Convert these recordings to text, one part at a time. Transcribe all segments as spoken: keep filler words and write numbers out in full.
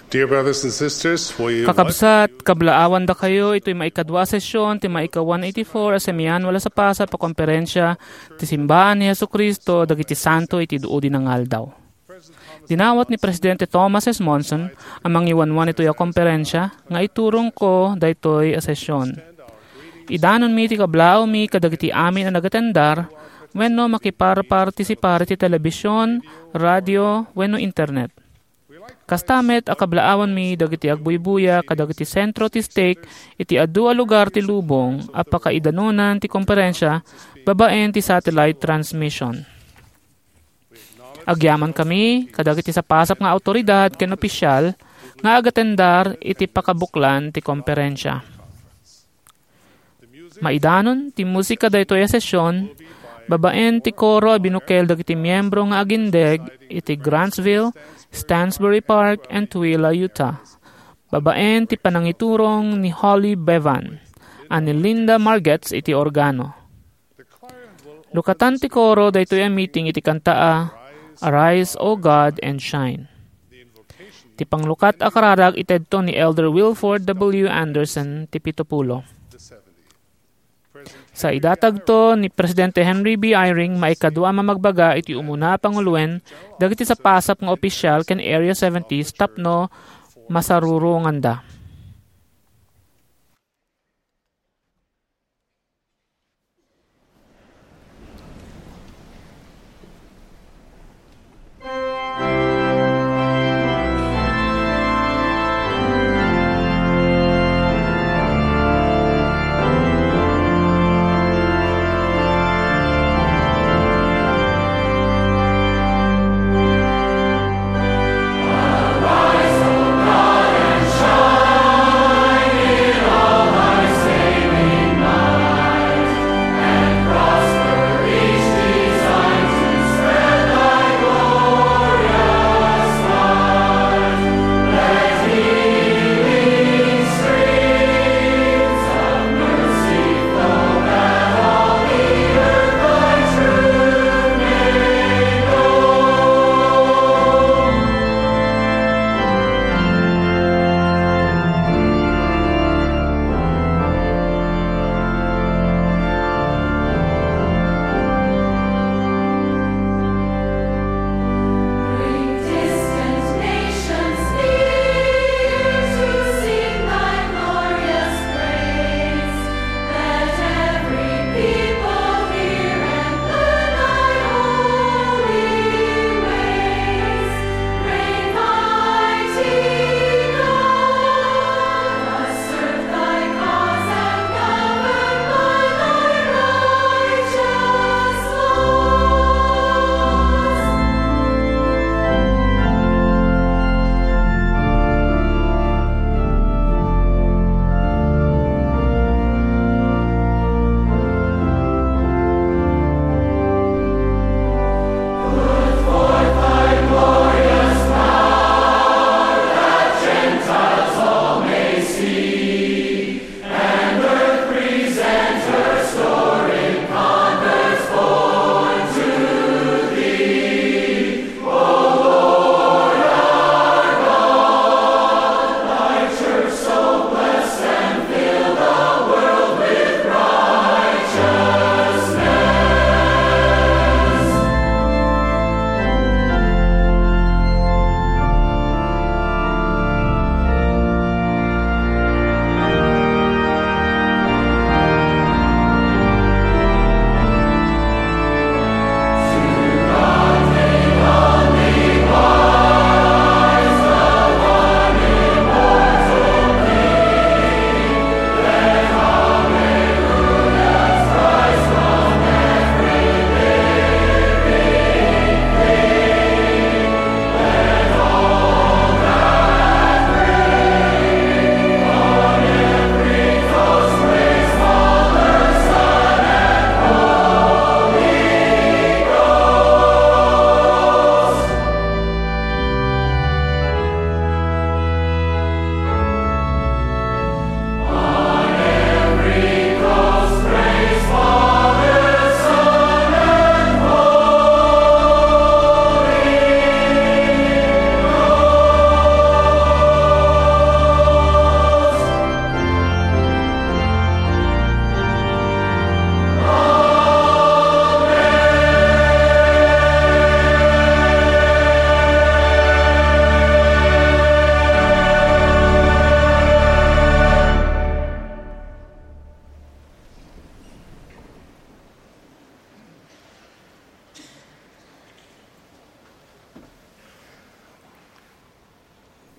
Dear brothers and sisters, we Kakabsat, kablaawandakayo itoy maikadua a sesyon ti maika one eighty-four a Semiannual a Sapasap a Komperensia ti Simbaan ni Jesu-Cristo dagiti Santo iti Duudi nga Aldaw. Dinawat ni Presidente Thomas S. Monson a mangiwanwan itoy a komperensia nga iturongko daytoy a sesyon. Idanonmi ti kablaawmi kadagiti amin a nagatendar wenno makiparpartisipar iti telebision, radio, wenno internet. Kasta met a kablaawanmi dagiti agbuybuya kadagiti sentro ti stake iti adu a lugar ti lubong a pakaidanonan ti komperensia babaen ti satellite transmission. Agyamankami kadagiti sapasap nga awtoridad ken opisial nga agatendar iti pakabuklan ti komperensia. Maidanon ti musika daytoy a sesyon babaen ti koro a binukel dagiti miembro nga agindeg iti Grantsville, Stansbury Park, and Tooele, Utah. Babaen ti panangiturong ni Holly Bevan a ni Linda Margetts iti organo. Lukatan ti koro daytoy a meeting iti kanta a Arise, O God, and Shine. Ti panglukat a kararag itedto ni Elder Wilford W. Andersen ti pito pulo. Sa idatagto ni Presidente Henry B. Eyring, maikadua a mamagbaga iti umuna a panguloen dagiti sapasap nga opisial ken Area seventies tapno masaruronganda.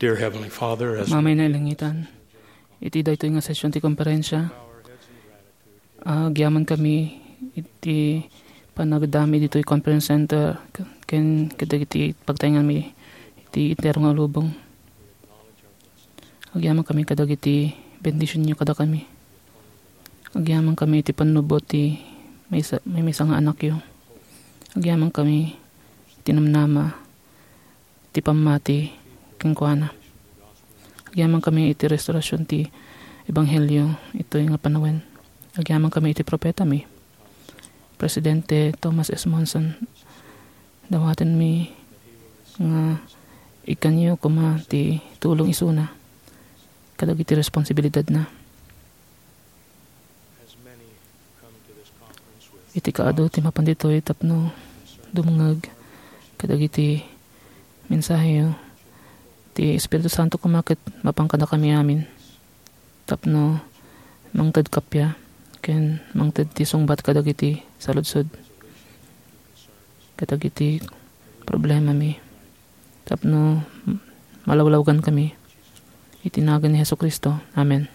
Dear Heavenly Father, as Amay a nailangitan, iti daytoy nga session ti konferensya, agyaman kami iti panagdami ditoy conference center ken kadagiti pagtaenganmi iti entero nga lubong. Agyaman kami kadagiti bendisionyo kadakami. Agyaman kami iti pannubbot ti maysa, maymaysa nga anakyo. Agyaman kami iti namnama ti pammati kenkuana. Agyaman kami iti restorasion ti ebanghelio itoy nga panawen. Agyaman kami iti propetami, Presidente Thomas S. Monson. Dawatenmi nga ikkanyo koma ti tulong isuna kadagiti responsibilidadna. Iti kaadu ti mapan ditoy tapno dumngeg kadagiti mensaheyo, ti Espiritu Santo koma ket mapan kadakami amin tapno mangted kappia ken mangted ti sungbat kadagiti saludsod kadagiti problemami tapno malawlawgan kami. Iti nagan ni Jesu-Cristo. Amen.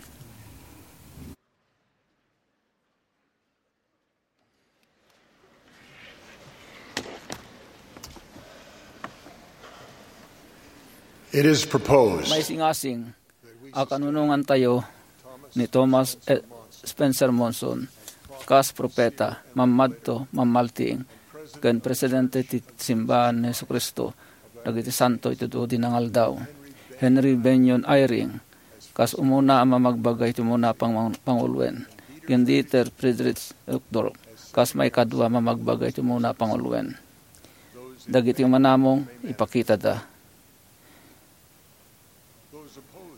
It is proposed Maisingasing a kanunongantayo ni Thomas E. Spencer Monson kas propeta, mammadto, mammaltiing, ken presidente ti Simbahan ni Jesu-Cristo dagiti Santo iti Dudi nga Aldaw. Henry Bennion Eyring, kas umuna a mamagbaga iti umuna pang-, panguloen, ken Dieter Friedrich Uchtdorf, kas maikadua a mamagbaga iti umuna panguloen. Dagiti umanamong ipakitada.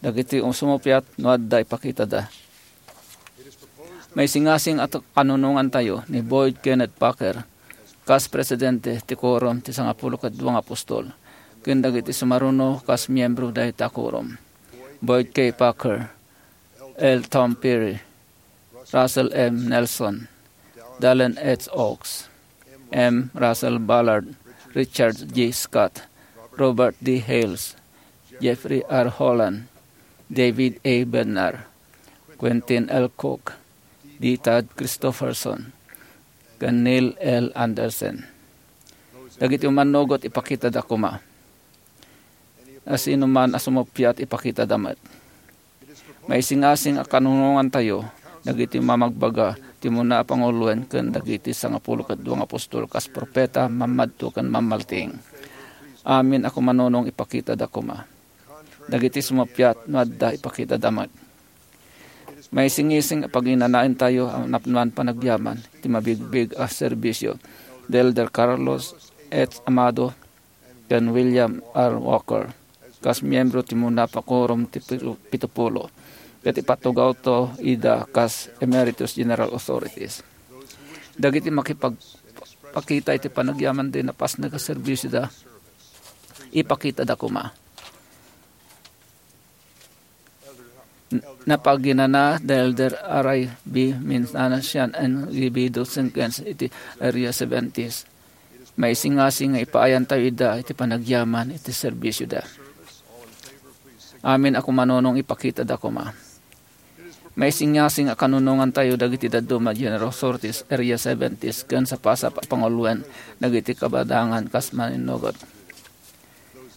Dagiti sumuppiat no adda ipakitada. Maisingasing a t-, kanunongantayo ni Boyd Kenneth Packer kas presidente ti Quorum ti Sangapulo ket Dua nga Apostol, ken dagiti sumaruno kas miyembro dayta Quorum. Boyd K. Packer, L. Tom Perry, Russell M. Nelson, Dallin H. Oaks, M. Russell Ballard, Richard G. Scott, Robert D. Hales, Jeffrey R. Holland, David A. Bednar, Quentin L. Cook, D. Todd Christofferson, ken Neil L. Andersen. Dagiti umannugot, ipakitada koma. A sino man a sumuppiat, ipakitada met. Maisingasing a kanunongantayo dagiti mamagbaga ti umuna a panguloen ken dagiti sangapulo ket dua nga apostol kas propeta, mammadto ken mammaltiing. Amin a kumanunong, ipakitada koma. Dagiti sumuppiat no adda, ipakitada met. Maisingising a paginanaentayo a napnoan panagyaman ti mabigbig a serbisio da Elder Carlos H. Amado ken William R. Walker kas miyembro ti umuna a quorum ti pitu-, pitupulo, ket ipatugawto ida kas Emeritus General Authorities. Dagiti makipagpakita iti panagyaman ti napasnag a serbisioda, ipakitada koma. N-, napaginana da Elder R I B Minsanasian and Libido Senkens iti Area seventies. Maisingasing nga ipaayantayo ida iti panagyaman iti serbisioda. Amin a kumanunong, ipakitada koma. Maisingasing a kanunongantayo dagiti dadduma a General Authorities, Area seventies, ken sapasap a panguloen dagiti kabadangan kas mannunugot.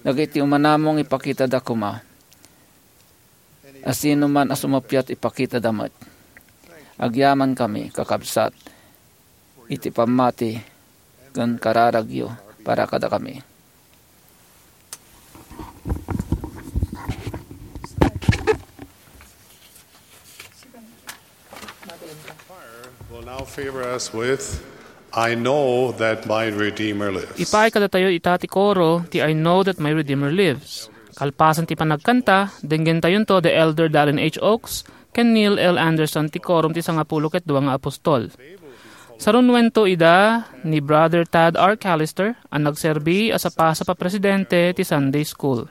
Dagiti umanamong, ipakitada koma. A sino man a sumuppiat, ipakitada met. Agyamankami, kakabsat, iti pammati ken kararagyo para kadakami. Will now favor us with, "I know that my Redeemer lives." Ipaay kadatayo ita ti koro ti "I Know That My Redeemer Lives." Kalpasan ti panagkanta, denggentayonto da Elder Dallin H. Oaks ken Neil L. Andersen ti Quorum ti Sangapulo ket Dua nga Apostol. Sarunuento ida ni Brother Tad R. Callister a nagserbi a sapasap a presidente ti Sunday School.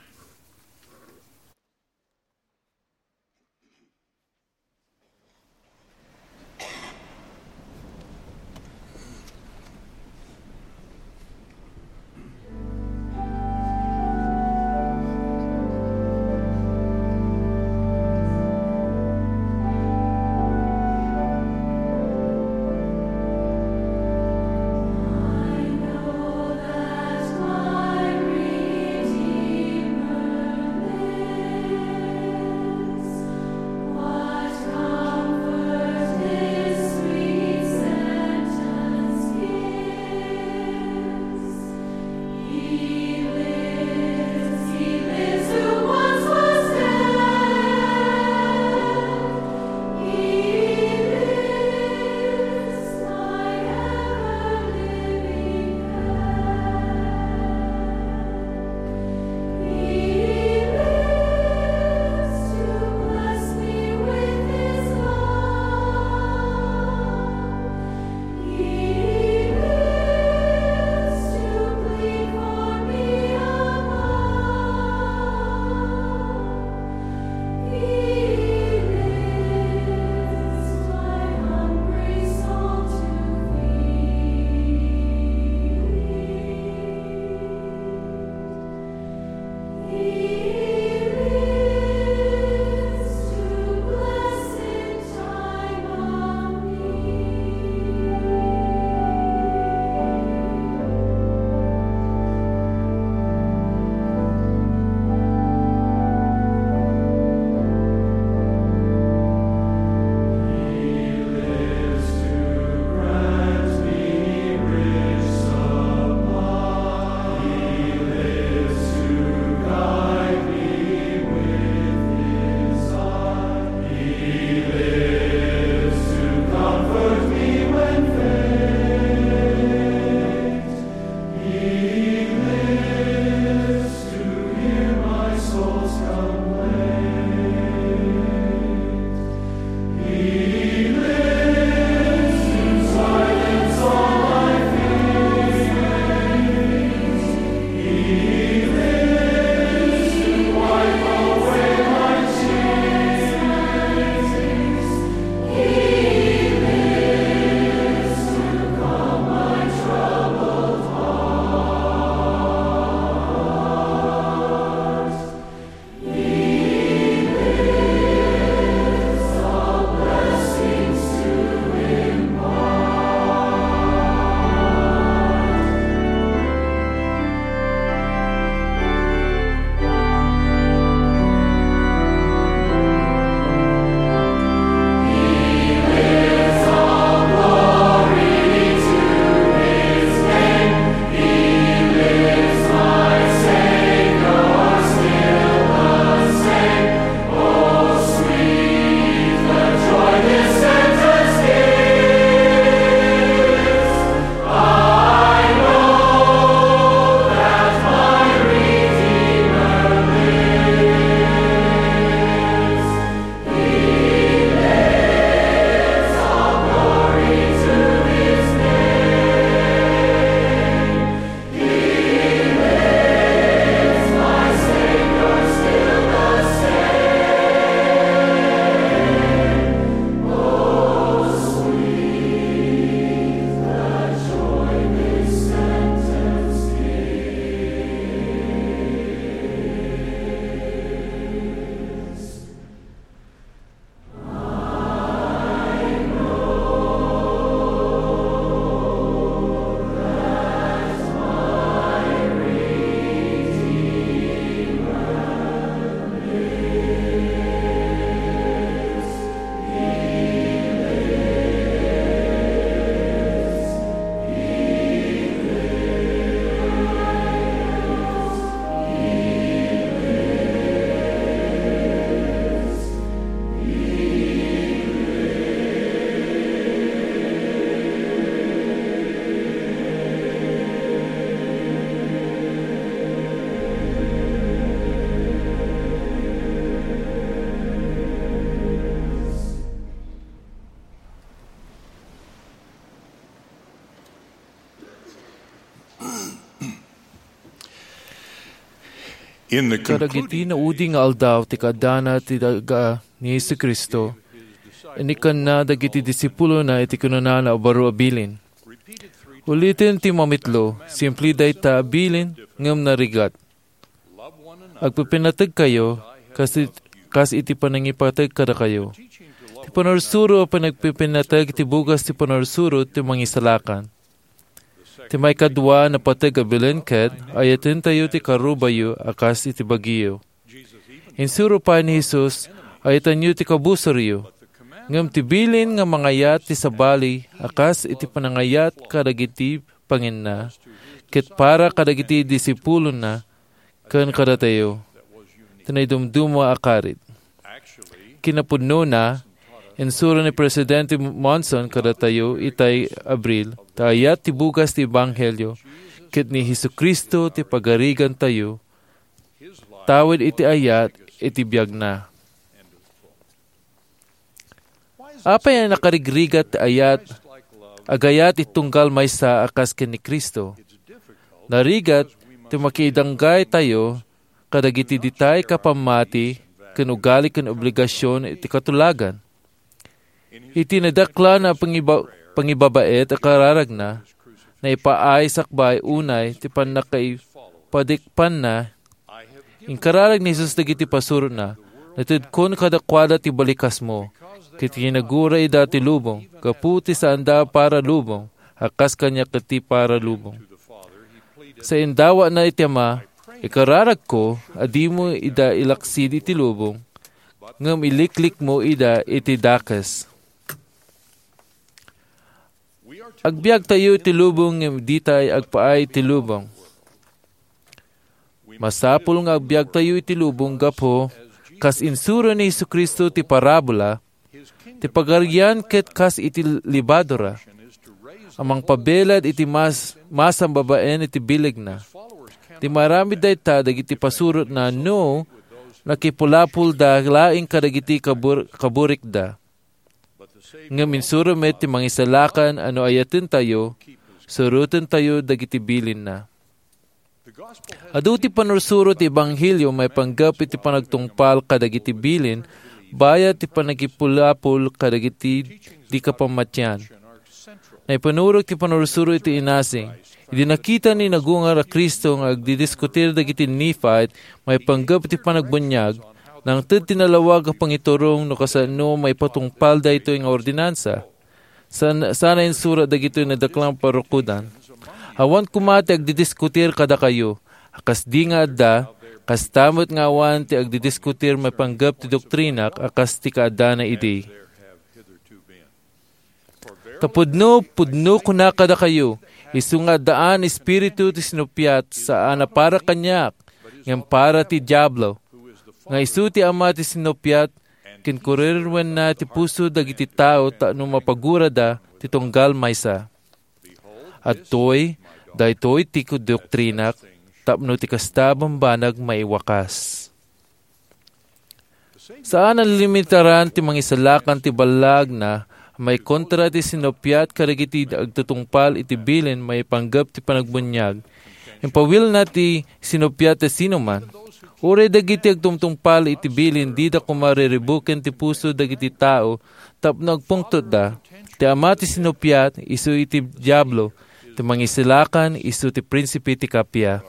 In the Kadagiti concluding naudi nga aldaw ti kaadana ti daga ni Jesu-Cristo, inikkanna dagiti disipulona iti kinunana a baro a bilin. Uliten ti mamitlo, simple dayta a bilin, ngem narigat. Agpipinategkayo, kas it-, kas iti panangipateg kadakayo. Ti panursuro a panagpipinateg ti bugas ti panursuro ti mangisalakan. Ti maikadua a napateg a bilin ket, ayatentayo ti karubayo a kas iti bagiyo. Insuro pay ni Jesus, "Ayatenyo ti kabusoryo." Ngem ti bilin nga mangayat ti sabali a kas iti panangayat kadagiti panginna, ket para kadagiti disipulona, ken kadatayo, ti naidumduma a karit. Kinapudnona, insuro ni Presidente Monson kadatayo itay Abril, ta ayat ti bugas ti Ebanghelio, ket ni Jesu-Cristo ti pagarigantayo, tawid iti ayat iti biagna. Apay a nakarigrigat ti ayat, agayat iti tunggal maysa a kas ken ni Cristo? Narigat ti makidanggaytayo kadagiti ditay kapammati ken ugali ken obligasion iti katulagan. Iti nadaklan a pangiba-, pangibabaet a kararagna, naipaay sakbay unay ti pannakaipadikpanna. Inkararag ni Jesus dagiti pasurotna, "Natedkon kadakuada ti balikasmo, ket kinagura ida ti lubong, gapu ti saanda para lubong, a kas kaniak ti para lubong." Sa indawatna iti Ama, "Ikararagko a dimo ida ilaksid iti lubong, ngem iliklikmo ida iti dakes." Agbiagtayo iti lubong ngem ditay agpaay iti lubong. Masapul nga agbiagtayo iti lubong gapu, kas insuro ni Jesu-Cristo ti parabola, ti pagarian ket kas iti lebadura a mangpabelad iti mas-, masam babaen iti bilegna. Di maaramid dayta dagiti pasurotna no nakipulapolda laeng kadagiti kabur-, kaburikda. Ngem insuro met ti Mangisalakan a no ayatentayo, surotentayo dagiti bilinna. Adu ti panursuro ti Ebanghelio maipanggep iti panagtungpal kadagiti bilin, bayat ti panagipulapol kadagiti di kapammatian. Naipanurot ti panursuro iti inasing. Idi nakita ni nagungar a Cristo nga agdidiskutir dagiti Nephite maipanggep iti panagbuniag, nangted ti nalawag a pangiturong no kasano maipatungpal daytoy nga ordinansa. San-, sana insurat dagitoy nadaklan parukodan. Awan koma ti agdidiskutir kadakayo, a kasdi nga adda, kasta met nga awan ti agdidiskutir maipanggep ti doktrinak a kas ti kaadana idi. Ta pudno, pudno kunak kadakayo, isu nga addaan espiritu ti sinuppiat, saan a para kaniak, ngem para ti Diablo, nga isu ti ama ti sinuppiat, ken kurirwenna ti puso dagiti tao tapno mapagurada ti tunggal maysa. Adtoy, daytoy ti doktrinak, tapno ti kasta a bambanag maiwakas. Saan a limitaran ti Mangisalakan ti ballagna a maikontra ti sinuppiat kadagiti agtutungpal iti bilin maipanggep ti panagbuniag. Impawilna ti sinuppiat ti sinuman. Uray dagiti agtutungpal iti bilin dida koma riribuken ti puso dagiti tao tapno agpungtotda. Ti ama ti sinuppiat, isu iti Diablo. Ti Mangisalakan, isu ti prinsipe ti kappia.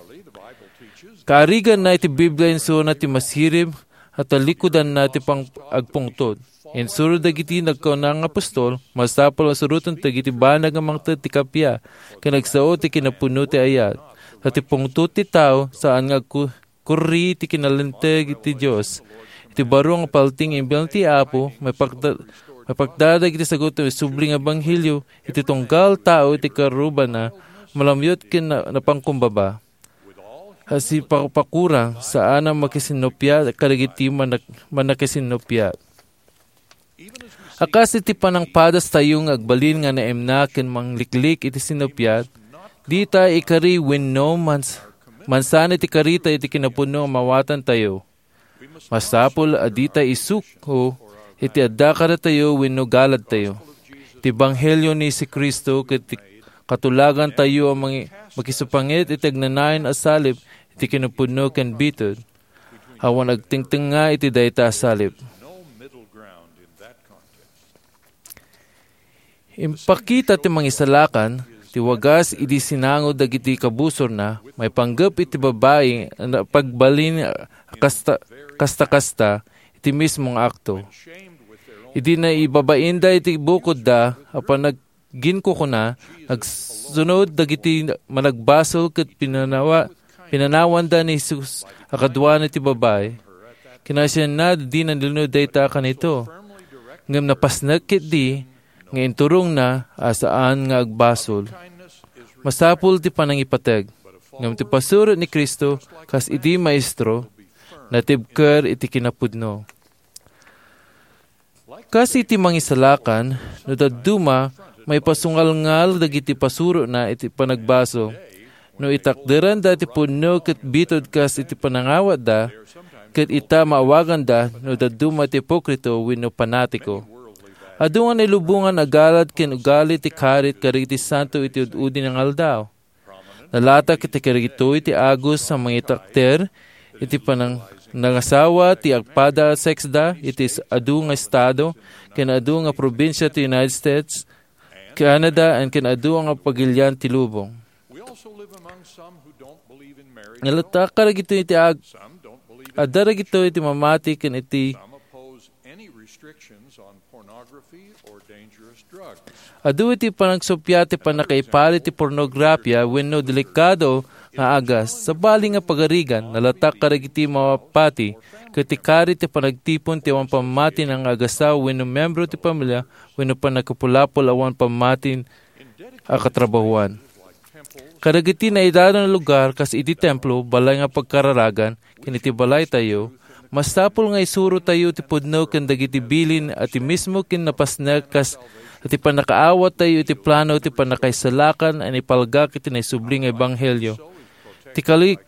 Kaariganna iti Biblia, insurona ti masirib a talikudanna ti pang-, agpungtot. Insuro dagiti nagkauna nga apostol, masapul a suroten dagiti banag a mangted ti kappia, ken agsao ti kinapuno ti ayat. Ta ti pungtot ti tao, saan nga agku-, kurri ti kinalinteg ti Dios. Iti baro nga paltiing imbilang ti Apo, mapagda-, mapagdada iti sagut ti subli nga ebanghelio, iti tunggal tao iti karubana, malamyot ken na-, napangkumbaba. Sipapakurang, saan a makisinnupiat kadagiti manak-, mannakisinnuppiat. A kas iti panangpadastayo nga agbalin nga naimna ken mangliklik iti sinnuppiat, dita ikari wenno mans-, mansan iti karita iti kinapudno a mawatantayo. Masapul a dita isuko iti adda kadatayo wenno galadtayo. Ti Ebanghelio ni Jesu-Cristo ket ti katulagantayo a mangi-, makisupangit iti agnanayon a salib iti kinapudno ken bitud. awan agtengtengnga iti dayta a salib. Impakita ti Mangisalakan ti wagas idi sinango dagiti kabusorna maipanggep iti babai a napagbalin a kasta, kasta-kasta iti mismo nga akto. Idi naibabainda iti bukodda a panagginkukuna, nagsunod dagiti managbasol ket pinanawa-, pinanawanda ni Jesus a kaduana ti babai. Kinasianna, dina nilino dayta a kanito. Ngem napasnek ketdi nga inturongna a saan nga agbasol. Masapul ti panangipateg, ngem ti pasuro ni Cristo kas idi Maestro, natibker iti kinapudno. Kas iti Mangisalakan, no dadduma, maipasungalngal dagiti pasurona iti panagbasol. No itakderanda ti pudno ket bitud kas iti panangawatda, ket ita maawaganda no dadduma ti ipokrito wenno panatiko. Adu nga nailubongan a galad ken ugali ti karit kadagiti santo iti ud-udi nga aldaw. Nalatak iti kadagitoy ti agos a mangitakder iti panang-, nangasawa ti agpada a seksda iti s-, adu nga estado ken adu nga probinsia ti United States, Canada, and ken adu nga pagilian ti lubong. Nalatak kadagitoy iti ag-, adda dagitoy iti mamati ken iti Adu iti panagsuppiat ti pannakaipali ti pornografia wenno delikado nga agas. Sabali nga pagarigan, nalatak kadagiti mapati ket ti karit ti panagtipon ti awan pammati nga agasawa wenno membro ti pamilya wenno pannakapulapol awan pammati a katrabahuan. Kadagiti naidado nga lugar kas iti templo, balay nga pagkararagan, ken iti balaytayo, masapul nga isurotayo ti pudno ken dagiti bilin a ti mismo ken napasnek kas iti pannakaawattayo iti plano ti pannakaisalakan a naipalgak iti naisubli nga ebanghelio. Ti kali-,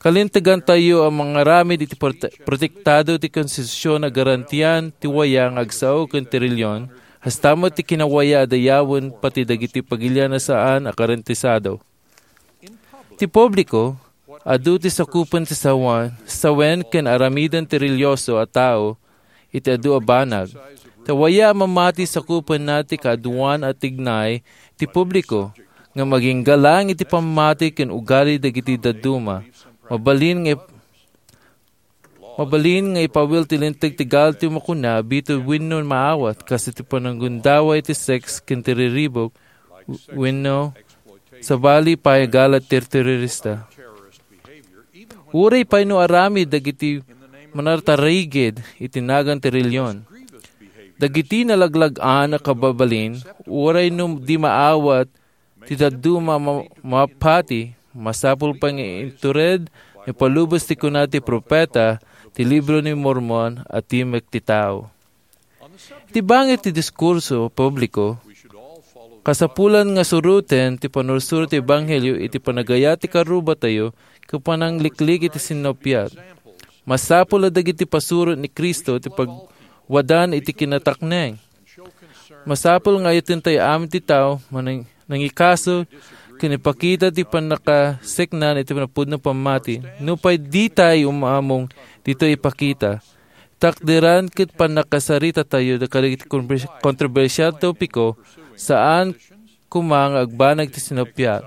kalintegantayo a mangaramid iti prote-, protektado ti konstitusion a garantian ti waya nga agsao ken ti relihion, hasta met ti kinawaya a dayawen pati dagiti pagilian a saan a garantisado. Ti publiko, adu ti sakupen ti sawan, sawen ken aramiden ti relihioso a tao iti adu a banag. Ta waya a mamati sakupenna ti kaaduan a tignay ti publiko, ngem agingga laeng iti pammati ken ugali dagiti dadduma. Mabalin nga ip-, Mabalin nga ipawil ti linteg ti gal ti makuna, bitud wenno maawat, kas iti pananggundaway ti seks ken ti riribuk, wenno sabali pay a galad ti terorista. Uray pay no aramid dagiti manartarigid iti nagan ti relihion. Dagiti nalaglag-an a kababalin, uray no di maawat, ti dadduma ma-, mapati, masapul pay nga intured no palubos ti kuna ti propeta, ti Libro ni Mormon a timek ti tao. Iti bangir ti diskurso publiko, kasapulan nga suroten ti pannursuro ti ebanghelio iti panagayat ti karrubatayo ken panangliklik iti sinnapiat. Masapul a dagiti pasuro ni Cristo ti pagwadan iti kinatakneng. Masapul nga ayatentayo amin ti tao manang-, nangikaso ken ipakita ti pannakaseknan iti napudno pammati. Nupay ditay umamong ditoy ipakita, takderan ket pannakasaritatayo kadagiti konbers-, kontrobersial topiko, saan koma nga agbanag ti sinnapiat.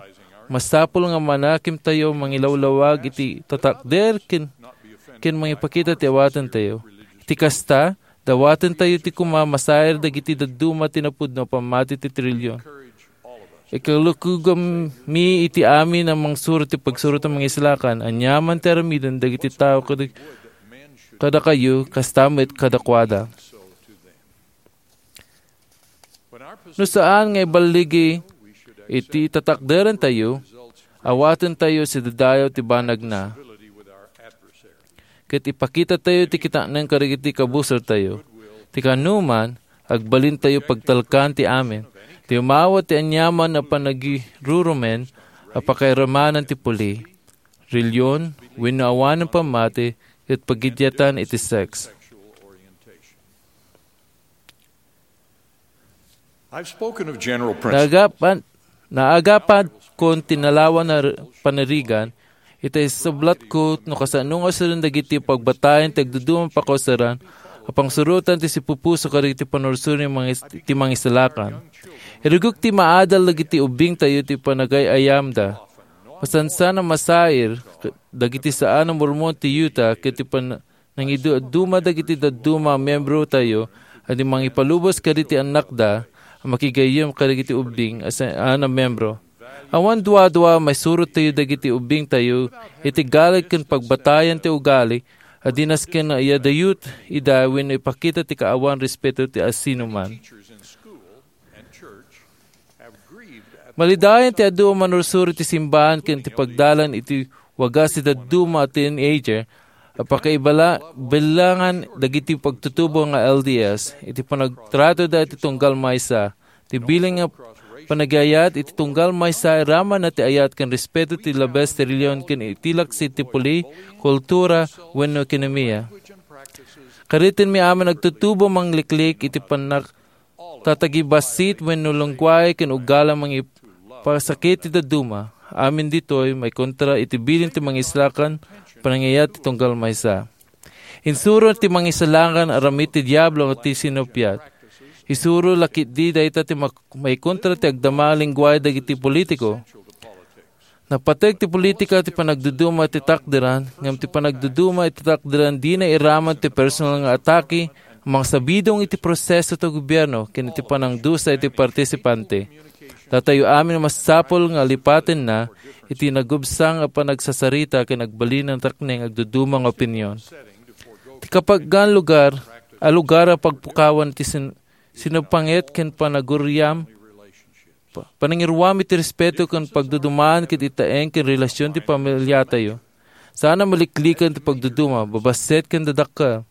Masapul nga manakimtayo mangilawlawag iti tatakder ken, ken mangipakita ti awatentayo. Iti kasta, dawatentayo ti koma masair dagiti dadduma ti napudno a pammati ti relihion. Ikalukogmi iti amin a mangsuro ti pagsuro ti Mangisalakan, aniaman ti aramiden dagiti tao kad-, kadakayo, kasta met kadakuada. No saan nga iballigi iti tatakderentayo, awatentayo sidadayo ti banagna. Ket ipakitatayo ti kitaen kadagiti kabusortayo. Ti kaanoman, agbalintayo pagtalkan ti amin. Ti umawat ti aniaman a panagirurumen a pakairamanan ti puli, relihion, wenno awanen pammati, ket pagidyatan iti seks. I've spoken of general principles. Naagapan, naagapan kon tinalawan na r-, panirigan, Ita isublatko no kasano nga usiren dagiti pagbatayan ti agduduma a pakauseran a pangsurotan ti sipupuso kadagiti pannursuro ni mangis-, ti mangisalakan. Irugok ti maadal dagiti ubbingtayo ti panagay-ayamda. Masansan a masair dagiti saan a Mormon ti Utah ket ti pan-, nangidu-, duma dagiti dadduma a membrotayo a di mangipalubos kadagiti annakda a makigayyem kadagiti ubbing a saan a membro. Awan duadua, maisurottayo dagiti ubbingtayo iti galag ken pagbatayan ti ugali a di nasken nga iyadayut ida wenno ipakita ti kaawan respeto ti asinoman. Malidayan ti adu a manursuro ti simbahan ken ti pagdalan iti wagas ti dadduma a teenager a pakaibalangan dagiti pagtutubo nga L D S iti panagtratoda iti tunggal maysa. Ti bilin nga panagayat iti tunggal maysa iramanna ti ayat ken respeto ti labes ti relihion ken iti laksid ti puli, kultura, wenno ekonomia. Karitenmi amin agtutubo mangliklik iti pannak-, tatagibassit wenno lengguahe ken ugali a mangipasakit ti dadduma. Amin ditoy maikontra iti bilin ti mangisalakan, panangayat ti tunggal maysa. Insuro ti mangisalakan a ramid ti Diablo nga ti sinuppiat. Isuro la ketdi dayta ti mak-, maikontra ti agdama a lengguahe dagiti politiko. Napateg ti politika ti panagduduma iti takderan, ngem ti panagduduma iti takderan dina iraman ti personal nga atake a mangsabidong iti proseso ti gobierno ken iti panangdusa iti partisipante. Datayo amin masapul nga alipatenna iti nagubsang a panagsasarita ken agbalin a takneng agduduma nga opinion. Ti kapagan lugar, a lugar a pagpukawan ti sin-, sinupangit ken panaguriam, pa-, panangiruam iti respeto ken pagdudumaan ket itaeng ken relasion ti pamiliatayo. Saan a maliklikan ti pagduduma, babassit ken dadakkel.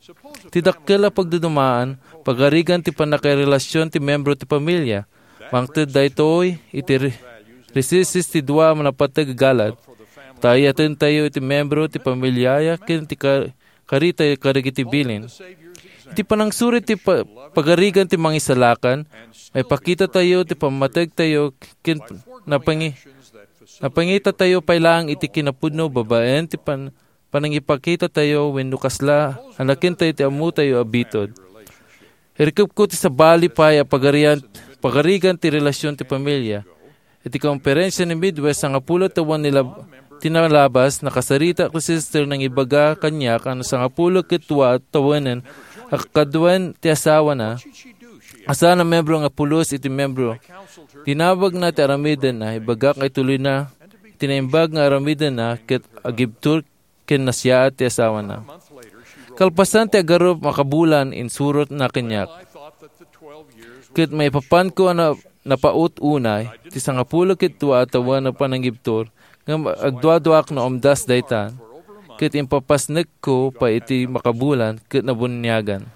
Ti dakkel a pagdudumaan, pagarigan ti pannakairelasion ti membro ti pamilia. Mangted daytoy iti re-, risisis ti dua a napateg a galad. Ta ayatentayo iti membro ti pamiliaya ken ti ka-, karita kadagiti bilin. Iti panangsurit ti pa-, pagarigan ti mangisalakan, maipakitatayo ti pammategtayo ken napangi-, napangitatayo pay laeng iti kinapudno babaen ti pan-, panangipakitatayo wenno kasla a nakentayo ti ammotayo a bitud. Irikepko ti sabali pay a pagarian-, pagarigan ti relasion ti pamilia. Iti konferensia ni Midwest, sangapulo tawen ni lab-, ti nalabas, nakasarita ti sister nangibaga kaniak a sangapulo ket dua a tawenen a kaduen ti asawana, a saan a membro nga pulos iti membro. Dinawagna ti aramidenna, ibagak nga ituloyna ti naimbag nga aramidenna ket agibtur ken nasiaat ti asawana. Kalpasan ti agarup makabulan, insurotna kaniak. Ket maipapanko a na-, napaut unay ti sangapulo ket dua a tawen a panangibtur, ngem agduaduaak no umdas dayta, ket impapasnekko pay iti makabulan ket nabuniagan.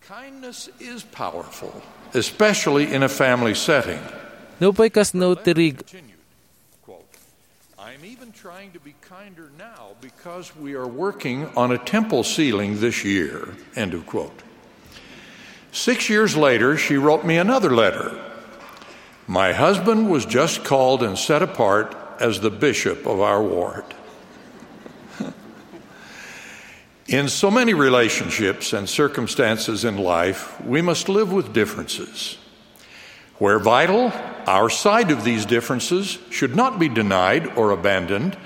Kindness is powerful, especially in a family setting. Nupay kasno ti rig-, Quote, "I'm even trying to be kinder now because we are working on a temple ceiling this year," end of quote. Six years later, she wrote me another letter. "My husband was just called and set apart as the bishop of our ward." In so many relationships and circumstances in life, we must live with differences. Where vital, our side of these differences should not be denied or abandoned,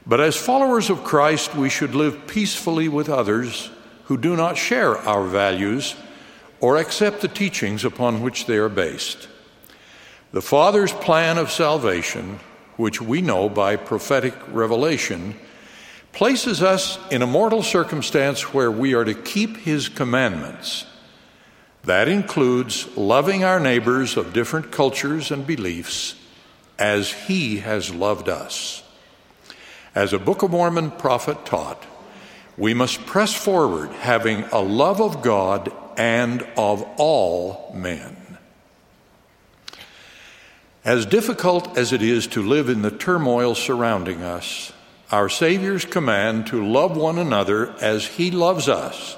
but as followers of Christ, we should live peacefully with others who do not share our values or accept the teachings upon which they are based. The Father's plan of salvation, which we know by prophetic revelation, places us in a mortal circumstance where we are to keep His commandments. That includes loving our neighbors of different cultures and beliefs as He has loved us. As a Book of Mormon prophet taught, we must press forward having a love of God and of all men. As difficult as it is to live in the turmoil surrounding us, our Savior's command to love one another as He loves us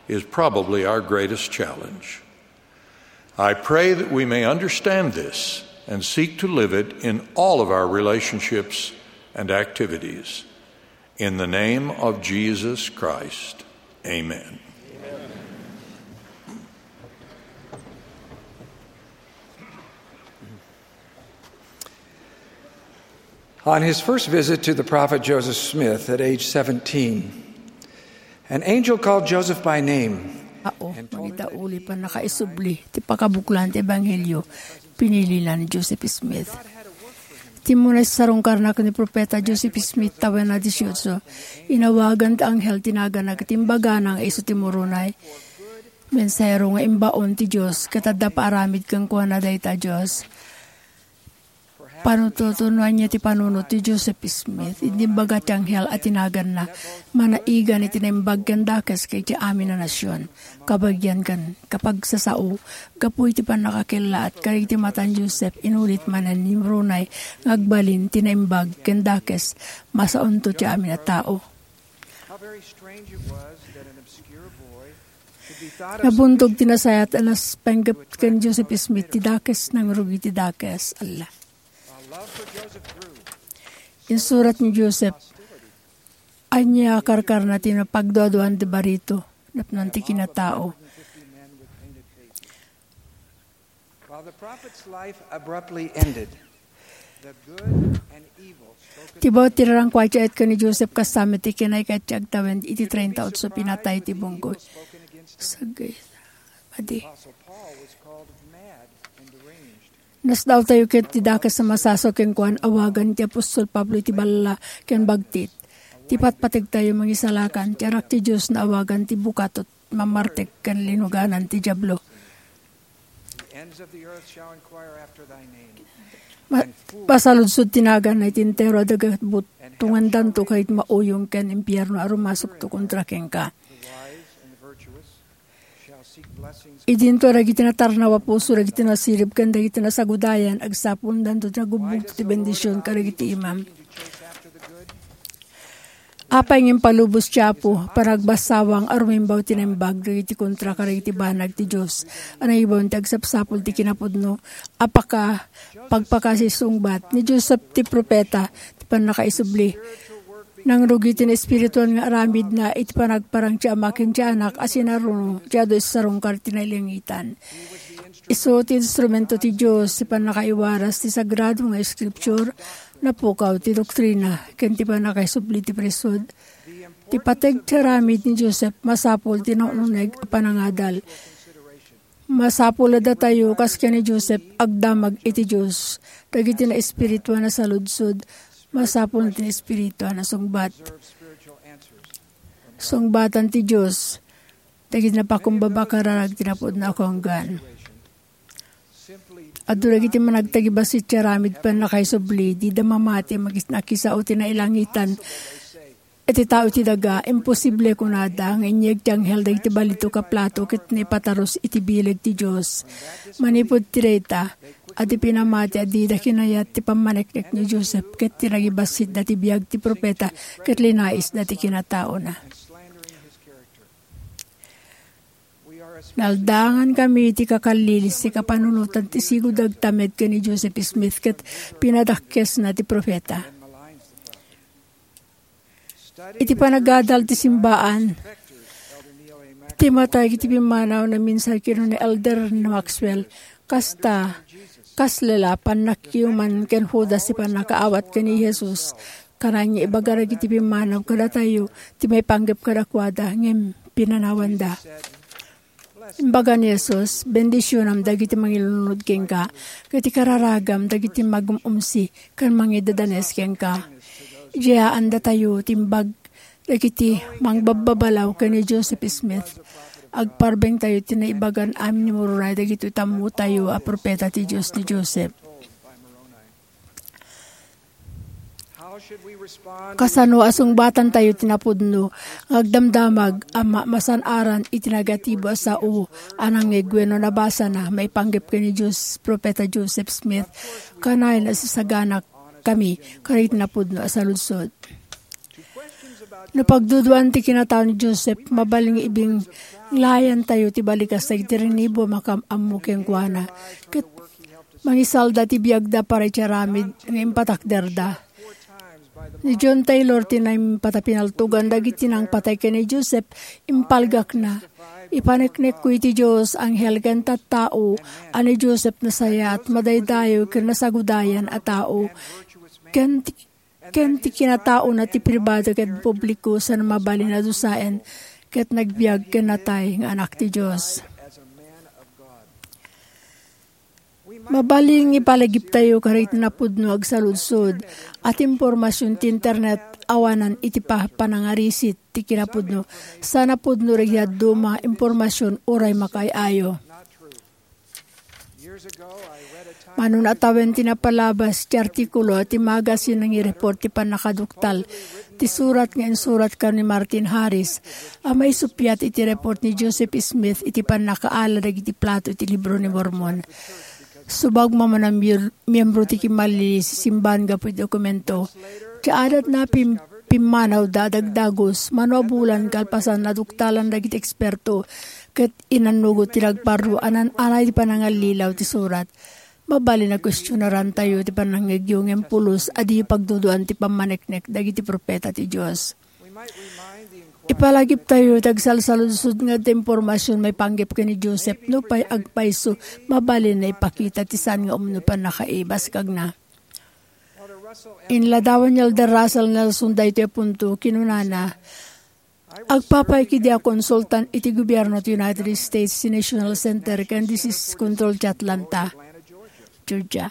is probably our greatest challenge. I pray that we may understand this and seek to live it in all of our relationships and activities. In the name of Jesus Christ, amen. On his first visit to the prophet Joseph Smith at age seventeen, an angel called Joseph by name. Ao, and pointed iti uli pannakaisubli ti pakabuklan ti ebanghelio, pinilina ni Joseph Smith. Ti umuna sarungkarna ken ni Profeta Joseph Smith tawen a dieciocho, inawagan ti anghel ti naganna ket imbagana nga isu ti Moroni. Mensahero nga imbaon ti Dios, ket adda paaramid kenkuana dayta Dios. Panututunoan niya ti panunot ti Joseph Smith. Idi imbaga ti anghel a ti naganna, manaigan iti naimbag ken dakes iti amin a nasion, kabagian ken kapagsasao, gapu iti pannakakellaat kadagiti matan Joseph, inulit manen ni Moroni nga agbalin ti naimbag ken dakes, masaonto ti amin a tao. How very strange it was that an obscure boy Nabuntog ti nasayaat a naspenggep ken Joseph Smith ti dakes, nangrugi ti dakes. Alla. Insurat ni Joseph, ania a karkarna ti napagduaduan ti barito, napnon ti kinatao. While the prophet's life abruptly ended, the good and evil spoken Ti bawat ti rarangkuay ti ayat ken ni Joseph, kasta met ti kinayat ti agtawen iti treinta y ocho pinatay ti bunggoy. Sagay. Adi. Apostle Paul was called mad and deranged. Nasdaawtayo ket ti dakes a masasaw kenkuan, awagan ti apostol Pablo iti balla ken bagtit. Ti patpategtayo mangisalakan, ti anak ti Dios naawagan ti bukatot, mamartek ken linuganan ti Diablo. The ends of the earth shall inquire after thy name. Ma-, masaludsod ti naganna iti entero a daga, butungandanto kadagiti mauyong ken impierno a rumasukto kontra kenka. The wise and the virtuous shall seek blessings. Idinto dagiti natarnaw a puso, dagiti nasirib, ken dagiti nasagudayan, agsapondanto ti nagugbugto ti bendision kadagiti imam. Apay nga impalubos ti Apo, panagbasawang a rumimbaw ti naimbag dagiti kontra kadagiti banag ti Dios a nangibaon ti agsapsapul ti kinapudno, a paka-, pagpakasisungbat ni Joseph ti profeta ti pannakaisubli. Nangrugi ti naespirituan nga aramidna iti panagparang ti Ama ken ti Anak a sinaruno ti adu iti sarungkar ti nailangitan. Isu ti instrumento ti Dios ti pannakaiwaras ti sagrado nga Scripture, napukaw ti doktrina, ken ti pannakaisubli ti priesthood. Ti pateg ti aramid ni Joseph masapul ti nauneg a panangadal. Masapul a datayo, kas ken ni Joseph, agdamag iti Dios. Dagiti naespirituan a saludsod, masapul ti naespirituan a sungbat. Sungbatan ti Dios dagiti napakumbaba a kararag ti napudno a kaunggan. Adu dagiti managtagibassit ti aramid pannakaisubli, dida mamati a makis-, nakisao ti nailangitan. Iti tao ti daga, imposible, kunada, nga inyeg ti anghel dagiti balito ka plato ket naipatarus iti bileg ti Dios. Manipud ti dayta, adi pinamati a dida kinayat ti pammaneknek ni Joseph ket ti nagibassitda ti biag ti profeta ket linaisda ti kinataona. Naldaangankami iti kakallilis ti kapanunotan ti sigud a agtamed ken ni Joseph Smith ket pinadakkesna ti profeta. Iti panagadal ti simbaan, ti matay iti pimmanaw naminsan kinuna ni Elder Maxwell, kasta, kasla la pannakkiuman ken Judas ti pannakaawat ken ni Jesus. Kanayon nga ibaga dagiti pimmanaw kadatayo ti maipanggep kadakuada, ngem pinanawanda. Imbaga ni Jesus, "Bendisionam dagiti mangilunod kenka, ket ikararagam dagiti magum-umsi ken mangidadanes kenka." Idiayan datayo ti imbag dagiti mangbabbabalaw ken ni Joseph Smith. Agparbengtayo ti naibagan amin ni Moroni dagiti tammotayo a profeta ti Dios ni Joseph. Kasano a sungbatantayo ti napudno nga agdamdamag a ma-, masan-aran iti negatibo a sao a nangngeg wenno nabasana maipanggep ken ni Jos-, Profeta Joseph Smith? Kanayon a sasagana kami kadagiti napudno a saludsod. No pagduduan ti kinatao ni Joseph, mabalin nga ibinglayantayo ti balikas dagiti rinibo a makaam-ammo kenkuana. Ket Mangisalda ti biagda para iti aramid nga impatakderda. Ni John Taylor ti naimbag a pinaltogan dagiti nangpatay ken ni Joseph, impalgakna. Ipaneknekko iti Dios, anghel ken tattao, a ni Joseph nasayaat, madaydayaw ken nasagudayan a tao, ken ti, ken ti kinataona ti pribado ken publiko, saan mabalin a dusaen ket nagbiag ken natay nga anak ti Dios. Mabalin nga ipalagiptayo kadagiti napudno agsaludsod a ti impormasion ti internet awanan iti pa-, panangarisit ti kinapudno, sa napudno dagiti dadduma impormasion uray makaay-ayo. Mano nga tawen ti napalabas ti artikulo ti magasin nga nangireport ti pannakaduktal ti surat nga insurat ken ni Martin Harris a maisuppiat iti report ni Joseph Smith iti pannakaala dagiti plato iti Libro ni Mormon. Subay manen a miembro ti kinmalliliis ti simbahan gapu iti dokumento, ti adatna pim-, pimmanawda a dagdagus, mano a bulan kalpasan, naduktalan dagiti eksperto ket inannugot ti nagparro a naan-anay ti panangallilaw ti surat. Mabalin a kuestionarantayo ti panangngegyo ngem pulos a diyo pagduaduan ti pammaneknek dagiti profeta ti Dios. Ipalagiptayo ti agsalsaludsod nga adda impormasion maipanggep ken ni Joseph. Nupay agpayso, mabalin a ipakita ti saan nga umno pannakaibaskagna. Inladawan ni Elder Russell Nelson daytoy a punto. Kinunana, "Agpapay kadi a konsultan iti gobierno ti United States ti National Center ken Disease Control ti Atlanta, Georgia.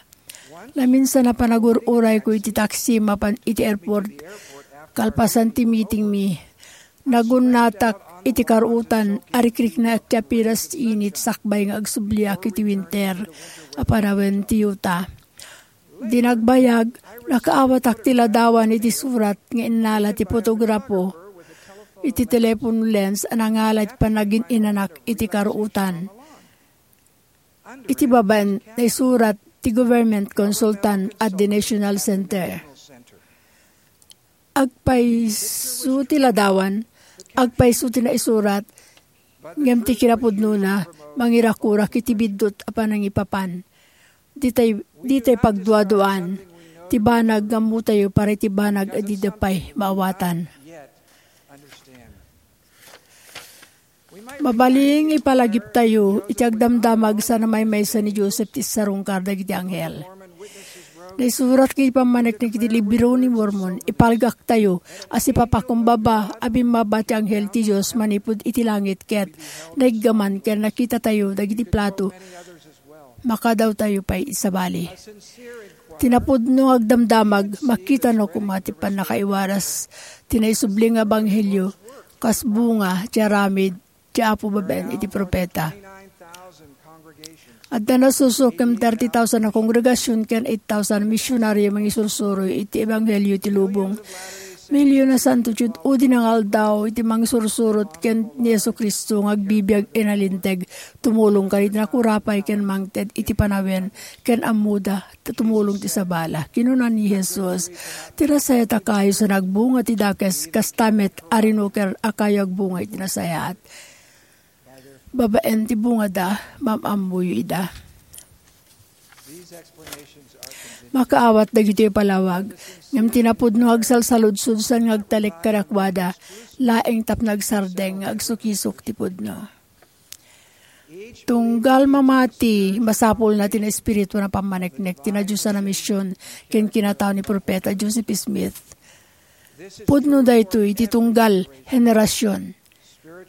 Naminsan a panagur-urayko iti taxi mapan iti airport kalpasan ti meetingmi. Nagunnatak iti karuotan, arikriknak ti apiras ti init sakbay nga agsubliak iti winter a panawen ti Utah. Idi nagbayag, nakaawatak ti ladawan iti surat nga innala ti fotografo iti telephone lens a nangala iti panagin-inanak iti karuotan. Iti babaen, naisurat ti government consultant at the National Center." Agpayso ti ladawan, agpayso ti naisurat, ngem ti kinapudnona, mangirakurak iti biddut a panangipapan. Ditay, ditay pagduaduan ti banag nga ammotayo para iti banag a dida pay maawatan. Mabalin nga ipalagiptayo iti agdamdamag saan a maymaysa ni Joseph ti sarungkar dagiti anghel. Naisurat iti pammaneknek iti Libro ni Mormon, ipalgaktayo a sipapakumbaba a bimmaba ti anghel ti Dios manipud iti langit ket naiggaman ken nakitatayo dagiti plato. Makadawtayo pay iti sabali. Ti napudno nga agdamdamag, makitano koma ti pannakaiwaras ti naisubli nga ebanghelio kas bunga ti aramid ti Apo babaen iti profeta. Adda nasursuro ken thirty thousand a kongregasion ken eight thousand a misionario a mangisursuroy iti ebanghelio iti lubong. Milyon a santo ti ud-udi nga aldaw iti mangsursurot ken ni Jesu-Cristo nga agbibiag inalinteg, tumulong kadagiti nakurapay ken mangted iti panawen ken ammoda ta tumulong ti sabala. Kinuna ni Jesus, "Ti nasayaat a kayo saan agbunga ti dakes, kasta met a rinuker a kayo agbunga iti nasayaat." Babaen ti bungada, maam-ammoyo ida. Makaawat dagitoy a palawag, ngem ti napudno nga agsalsaludsod saan nga agtalek kadakuada, laeng tapno agsardeng nga agsukisok ti pudno. Tunggal mamati, masapulna ti naespirituan a pammaneknek ti nadiosan a mision ken kinatao ni Profeta Joseph Smith. Pudno daytoy iti tunggal henerasion.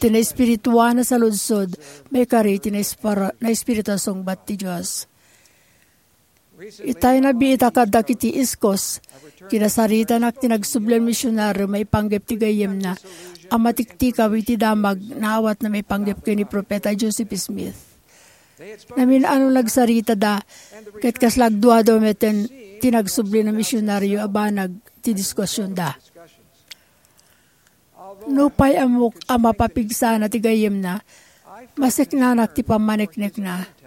Ti naespirituan a saludsod, maikari iti naispara-, naespirituan a sungbat ti Dios. Itay nabiitak kadagiti East Coast, kinasaritanak ti nagsubli a misionario maipanggep ti gayyemna a matiktikaw iti damag nga awan maipanggep ken ni Profeta Joseph Smith. Namin-ano nagsaritada, ket kasla agduadua metten ti nagsubli a misionario a banag ti diskusionda. Nupay ammok a mapapigsana ti gayyemna, maseknanak ti pammaneknekna.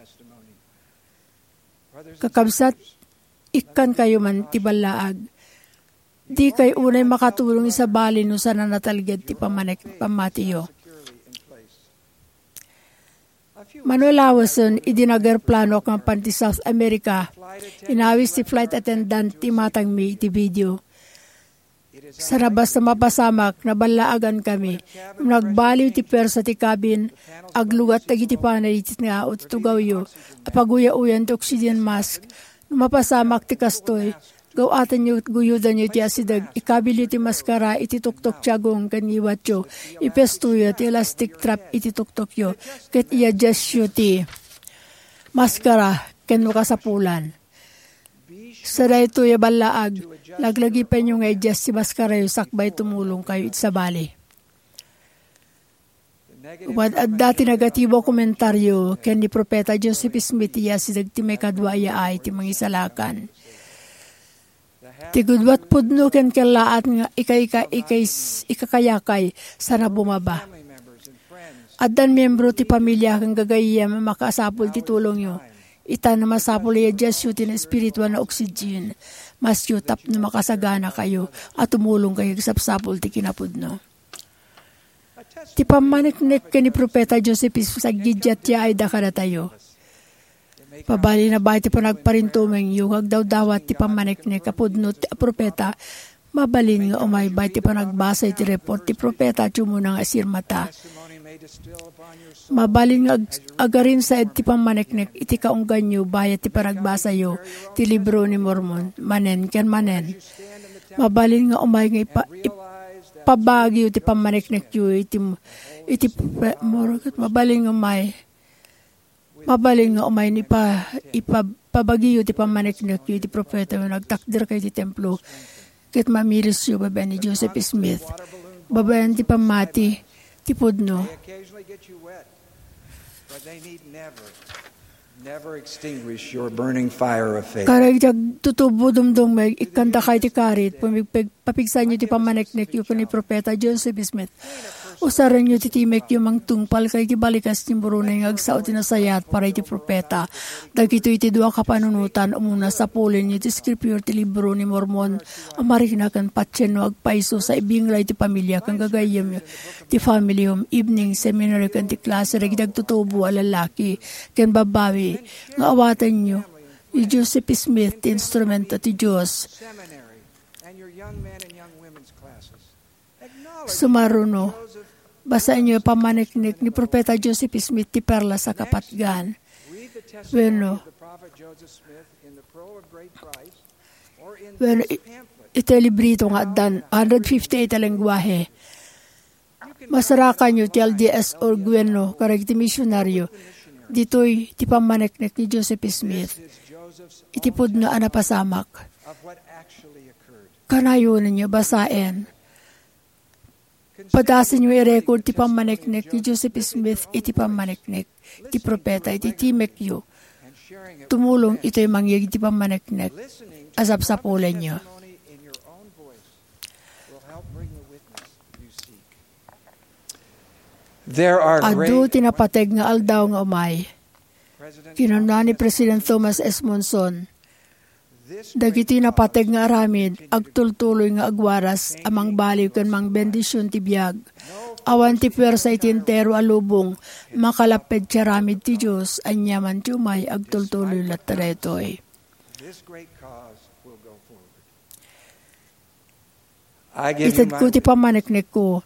Kakabsat, ikkankayo man ti ballaag. Dikay unay makatulong isabali no saan a natalged ti pammanek-, pammatiyo. Mano lawesen idi nag-eroplanoak mapan ti South America, inawis ti flight attendant ti imatangmi iti video. Sana basta mapasamak, naballaagan kami. Nagbaliw ti puersa ti cabin, aglugat dagiti panel iti tao ti tugawyo, a paguya-uyan ti oxygen mask. No mapasamak ti kastoy, gaw-atenyo, guyodanyo ti asideg, ikabilyo ti maskara iti tuktok ti agong ken ngiwatyo, ipestoyo ti elastic strap iti tuktokyo, ket i-adjustyo ti maskara ken no kasapulan. Sa daytoy a ballaag, laglagipenyo nga i-adjust ti maskarayo sakbay tumulongkayo iti sabali. Wen adda ti negatibo a komentario ken ni Profeta Joseph Smith ti asideg ti maikadua a yaay ti Mangisalakan. Ti gudua a pudno ken kellaat nga ika-, ika-, ika-, ikakayakay sana bumaba. Addan miembro ti pamilia ken gagayyem a makasapul ti tulongyo. Ita, masapul a i-adjustyo ti espiritual nga oxygen maskyo tapno makasaganakayo a tumulongkayo iti sapsapul ti kinapudno. Ti pammaneknek ken ni Profeta Joseph Smith aggiddiat ti yaayda kadatayo. Mabalin a baet ti panagparintumengyo nga agdawdawat ti pammaneknek a pudno ti a profeta. Mabalin nga umay baet ti panagbasa iti report ti profeta ti umuna nga sirmata. Mabalin nga ag-, agarinsaed ti pammaneknek iti kaungganyo bayat ti panagbasayo ti Libro ni Mormon manen ken manen. Mabalin nga umay nga ipa-, ipabagyo ti pammaneknekyo iti, iti pe-, mor-, mabalin nga umay, mabalin nga umay ni pa-, ipa-, pabagiyo ti pammaneknekyo iti profeta nga nagtakderkayo iti templo ket mamirisyo babaen ni Joseph Smith, babaen ti pammati ti pudno. Never extinguish your burning fire of faith. Karagdag tutubo dumdumeg, ikkandakay ti karit, pumigpeg-, papigsanyo ti pammaneknekyo ken ni Profeta Joseph Smith. Usarenyo ti timekyo mangtungpal ken iti balikas ti murunay nga agsao ti nasayaat para iti profeta. Dagitoy ti dua kapanunotan, umuna, sapulenyo ti Scripture ti Libro ni Mormon a marikna ken patien no agpayso sa ibinglay ti pamilia ken gagayyemyo ti family home, evening seminary ken ti klase dagiti agtutubo a lalaki ken babbai nga awatenyo. Ni Joseph Smith ti instrumento ti Dios. Sumaruno, basaenyo a pammaneknek ni Profeta Joseph Smith ti perlas a kapatgan. Wenno, wenno, i-, iti librito nga addan hundred fifty-eight a lengguahe. Masarakanyo ti L D S org wenno kadagiti misionaryo. Ditoy ti pammaneknek ni Joseph Smith iti pudno a napasamak. Kanayonenyo basaen. Padasenyo i-record ti pammaneknek ni Joseph Smith iti pammaneknek ti profeta iti timekyo. Tumulong itoy mangyeg ti pammaneknek a sapsapulenyo. There are Adu great ti napateg nga aldaw nga umay. Kinuna ni President Thomas S. Monson, "Dagiti napateg nga aramid agtultuloy nga agwaras a mangbaliw ken mangbendisyon ti biag. Awan ti puersa iti entero a lubong makalapped ti aramid ti Dios, aniaman ti umay agtultuloy latta daytoy." Itedko ti pammaneknekko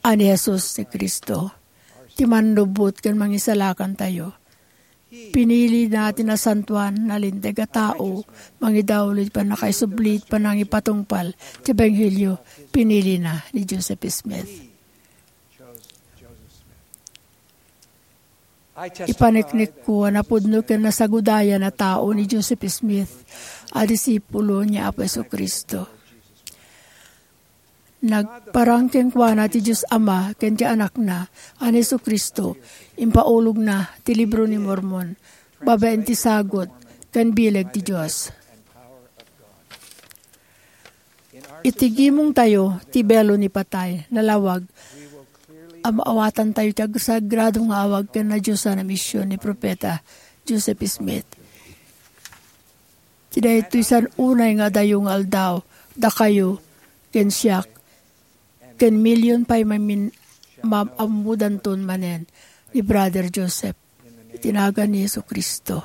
a ni Jesus ti Cristo, ti Mannubbot ken Mangisalakantayo. Pinilina ti nasantoan, nalinteg a tao, mangidaulo iti pannakaisubli iti panangipatungpal ti ebanghelio. Pinilina ni Joseph Smith. Ipaneknekko a napudno ken nasagudayan a tao ni Joseph Smith a disipulo ni Apo Jesu-Cristo. Nagparang kenkuana ti Dios Ama ken ti Anakna a ni Jesu-Cristo, impaulogna ti Libro ni Mormon babaen ti sagut ken bileg ti Dios. Iti gimongtayo, ti belo ni patay, nalawag, a maawatantayo ti agsagrado nga awag ken nadiosan a mision ni Profeta Joseph Smith. Ti daytoy saan unay nga adayo nga aldaw, dakayo, ken siak, ken milion pay mamin-, maam-ammodanton manen ni Brother Joseph. Iti nagan ni Jesu-Cristo.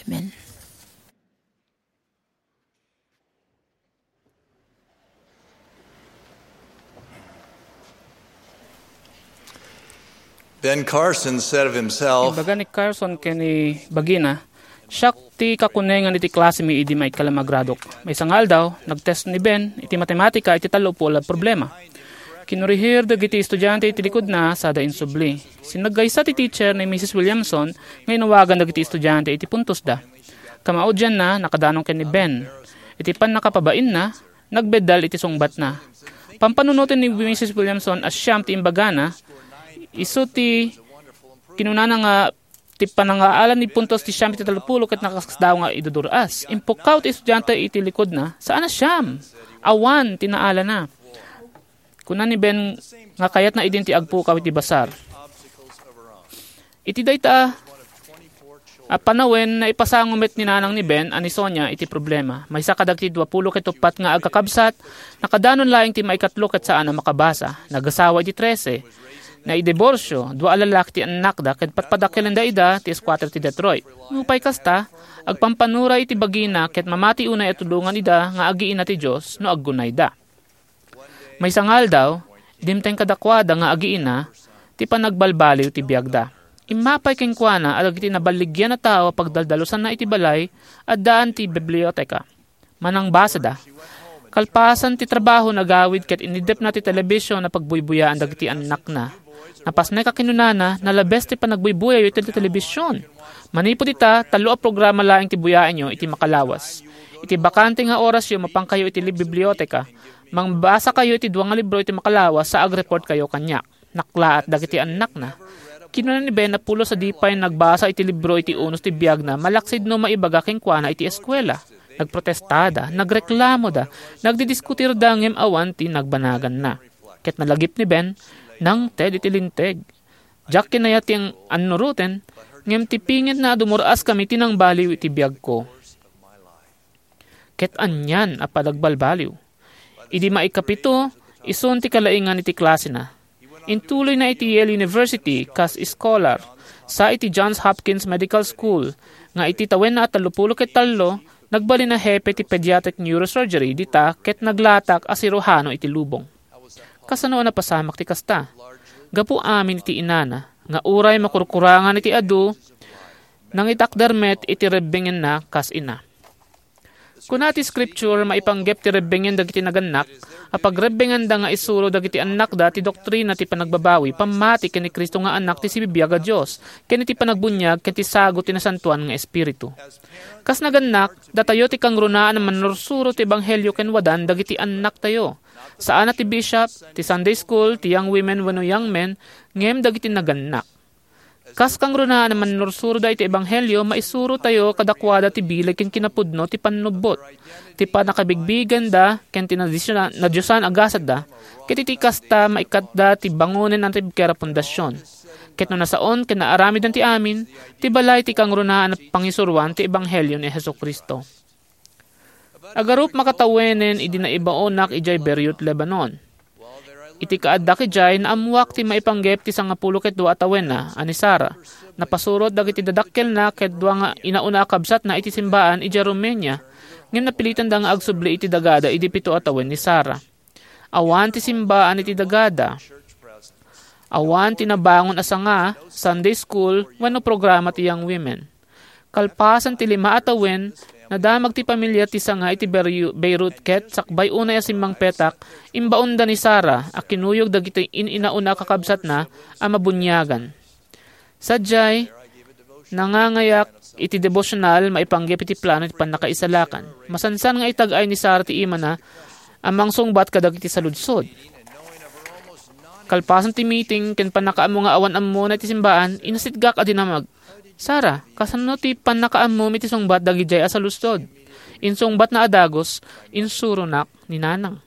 Amen. Ben Carson said of himself, Imbaga ni Carson ken ni bagina, "Siak ti kakunengan iti klasemi idi maikkalamagradok." Maysa nga aldaw, nagtest ni Ben iti matematika iti tallo pul a problema. Kinurihir dagiti estudiante iti likudna sada insubli. Sinaggaysa ti teacher ni Missus Williamson nga inawagan dagiti estudiante iti puntosda. Kamaudianna, nakadanon ken ni Ben. Iti pannakapabainna, nagbeddal iti sungbatna. Pampanunoten ni Missus Williamson a siam ti imbagana, isu ti kinunana nga ti panangaalan ni puntos ti siam iti tallopulo ket nakasdaaw nga idudur-as. Impukkaw ti estudiante iti likudna, "Saan a siam? Awan ti naalana." Kuna ni Ben nga kayatna idin ti agpukaw iti basar. Iti dayta a panawen, naipasango met ni nanang ni Ben a ni Sonia iti problema. Maysa kadagiti dua pulo ket uppat nga agkakabsat, nakadanon laeng ti maikatlo ket saan a makabasa. Nagasawa iti trese. Naidiborsio, dua a lalaki ti annakda ket padpadakelenda ida ti squatter ti Detroit. Nupay kasta, agpampanura iti bagina ket mamati unay a tulongan ida nga agiina ti Dios no aggunayda. Maysa nga aldaw, dimteng kadakuada nga agiina ti panagbalbaliw ti biagda. Immapay kenkuana a dagiti naballigian a tao a pagdaldalusanna iti balay, addaan ti biblioteka. Manangbasada. Kalpasan ti trabaho, nagawid ket inidepna ti telebision a pagbuybuyaan dagiti annakna. Napasnek a kinunana, "Nalabes ti panagbuybuyayo iti telebision. Manipud ita, tallo a programa laeng ti buyaenyo iti makalawas. Iti bakante nga orasyo, mapankayo iti li-, biblioteka. Mangbasakayo iti dua nga libro iti makalawas sa agreportkayo kaniak." Naklaat dagiti annakna. Kinuna ni Ben a pulos a di pay nagbasa iti libro iti unos ti biagna, malaksid no maibaga kenkuana iti eskuela. Nagprotestada, nagreklamoda, nagdidiskutirda ngem awan ti nagbanaganna. Ket nalagip ni Ben, nangted iti linteg. Diak kinayat ti ang-, annuroten, ngem ti pingetna a dumur-askami ti nangbaliw iti biagko. Ket anian a panagbalbaliw. Idi maikapito, isun ti kalaingan iti klasena. Intuloyna iti Yale University kas scholar. Sa iti Johns Hopkins Medical School, nga iti tawenna a tallopulo ket tallo, nagbalin a hepe ti pediatric neurosurgery dita ket naglatak a siruhano iti lubong. Kasano a napasamak ti kasta? Gapu amin iti inana, nga uray makurkurangan iti adu, nangitakder met iti rebbengenna kas ina. Kuna ti Scripture, maipanggep ti rebbengen dagiti nagannak, a pagrebbenganda nga isuro dagiti annakda ti doktrina ti panagbabawi, pammati ken ni Cristo nga Anak ti sibibiag a Dios, ken iti panagbuniag ken ti sagut ti Nasantoan nga Espiritu. Kas nagannak, datayo ti kangrunaan a mannursuro ti ebanghelio ken wadan dagiti annaktayo. Saan a ti bishop, ti Sunday school, ti young women wenno young men, ngem dagiti nagannak. Kas kangrunaan a mannursuroda iti ebanghelio, maisurotayo kadakuada ti bileg ken kinapudno ti pannubbot, ti pannakabigbiganda ken ti nadisyonan-, nadiosan a gasatda, ket iti kasta, maikkatda ti bangonen a natibker a pundasyon. Ket no nasaon ken naaramiden ti amin, ti balay ti kangrunaan a pangisuroan ti ebanghelio ni Jesu-Cristo. Agarup makatawenen idi naibaonak idiay Beirut, Lebanon. Iti kaaddak idiay, naammoak ti maipanggep ti sangapulo ket dua a tawenna a ni Sara. Napasurot dagiti dadakkelna ket dua nga inauna a kabsatna iti simbaan idiay Romania, ngem napilitenda nga agsubli iti dagada idi pito a tawen ni Sara. Awan ti simbaan iti dagada. Awan ti nabangon a sanga, Sunday school, wenno programa ti Young Women. Kalpasan ti lima a tawen, nadamag ti pamilia ti sanga iti Beru-, Beirut ket sakbay unay a simmangpetak, imbaonda ni Sara a kinuyog dagiti in-inauna a kakabsatna a mabuniagan. Sadiay, nangangayak iti debosyonal maipanggep iti plano ti pannakaisalakan. Masansan nga itag-ay ni Sara ti imana a mangsungbat kadagiti saludsod. Kalpasan ti meeting ken pannakaammo nga awan ammona iti simbaan, inasitgak a dinamag, "Sara, kasano ti pannakaammom iti sungbat dagidiay a saludsod?" Insungbatna a dagus, "Insuronak ni Nanang."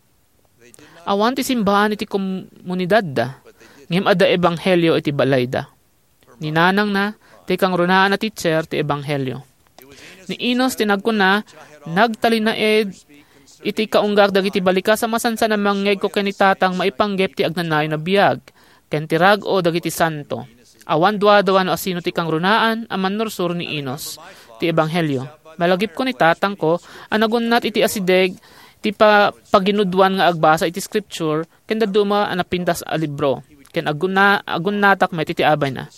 Awan ti simbaan iti komunidadda, ngem adda ebanghelio iti balayda. Ni nanangna, ti kangrunaan a teacher ti ebanghelio. Ni Enos ti nagkuna, "Nagtalinaed iti kaunggak dagiti balikas a masansan a mangngegko ken ni Tatang maipanggep ti agnanayon a biag, ken ti rag-o dagiti santo." Awan duadua no asino ti kangrunaan a mannursuro ni Enos ti Ebanghelio. Malagipko ni tatangko a nagunnat iti asideg ti pa-, paginuduan nga agbasa iti Scripture ken dadduma a napintas a libro, ken aggunna-, aggunnatak met iti abayna.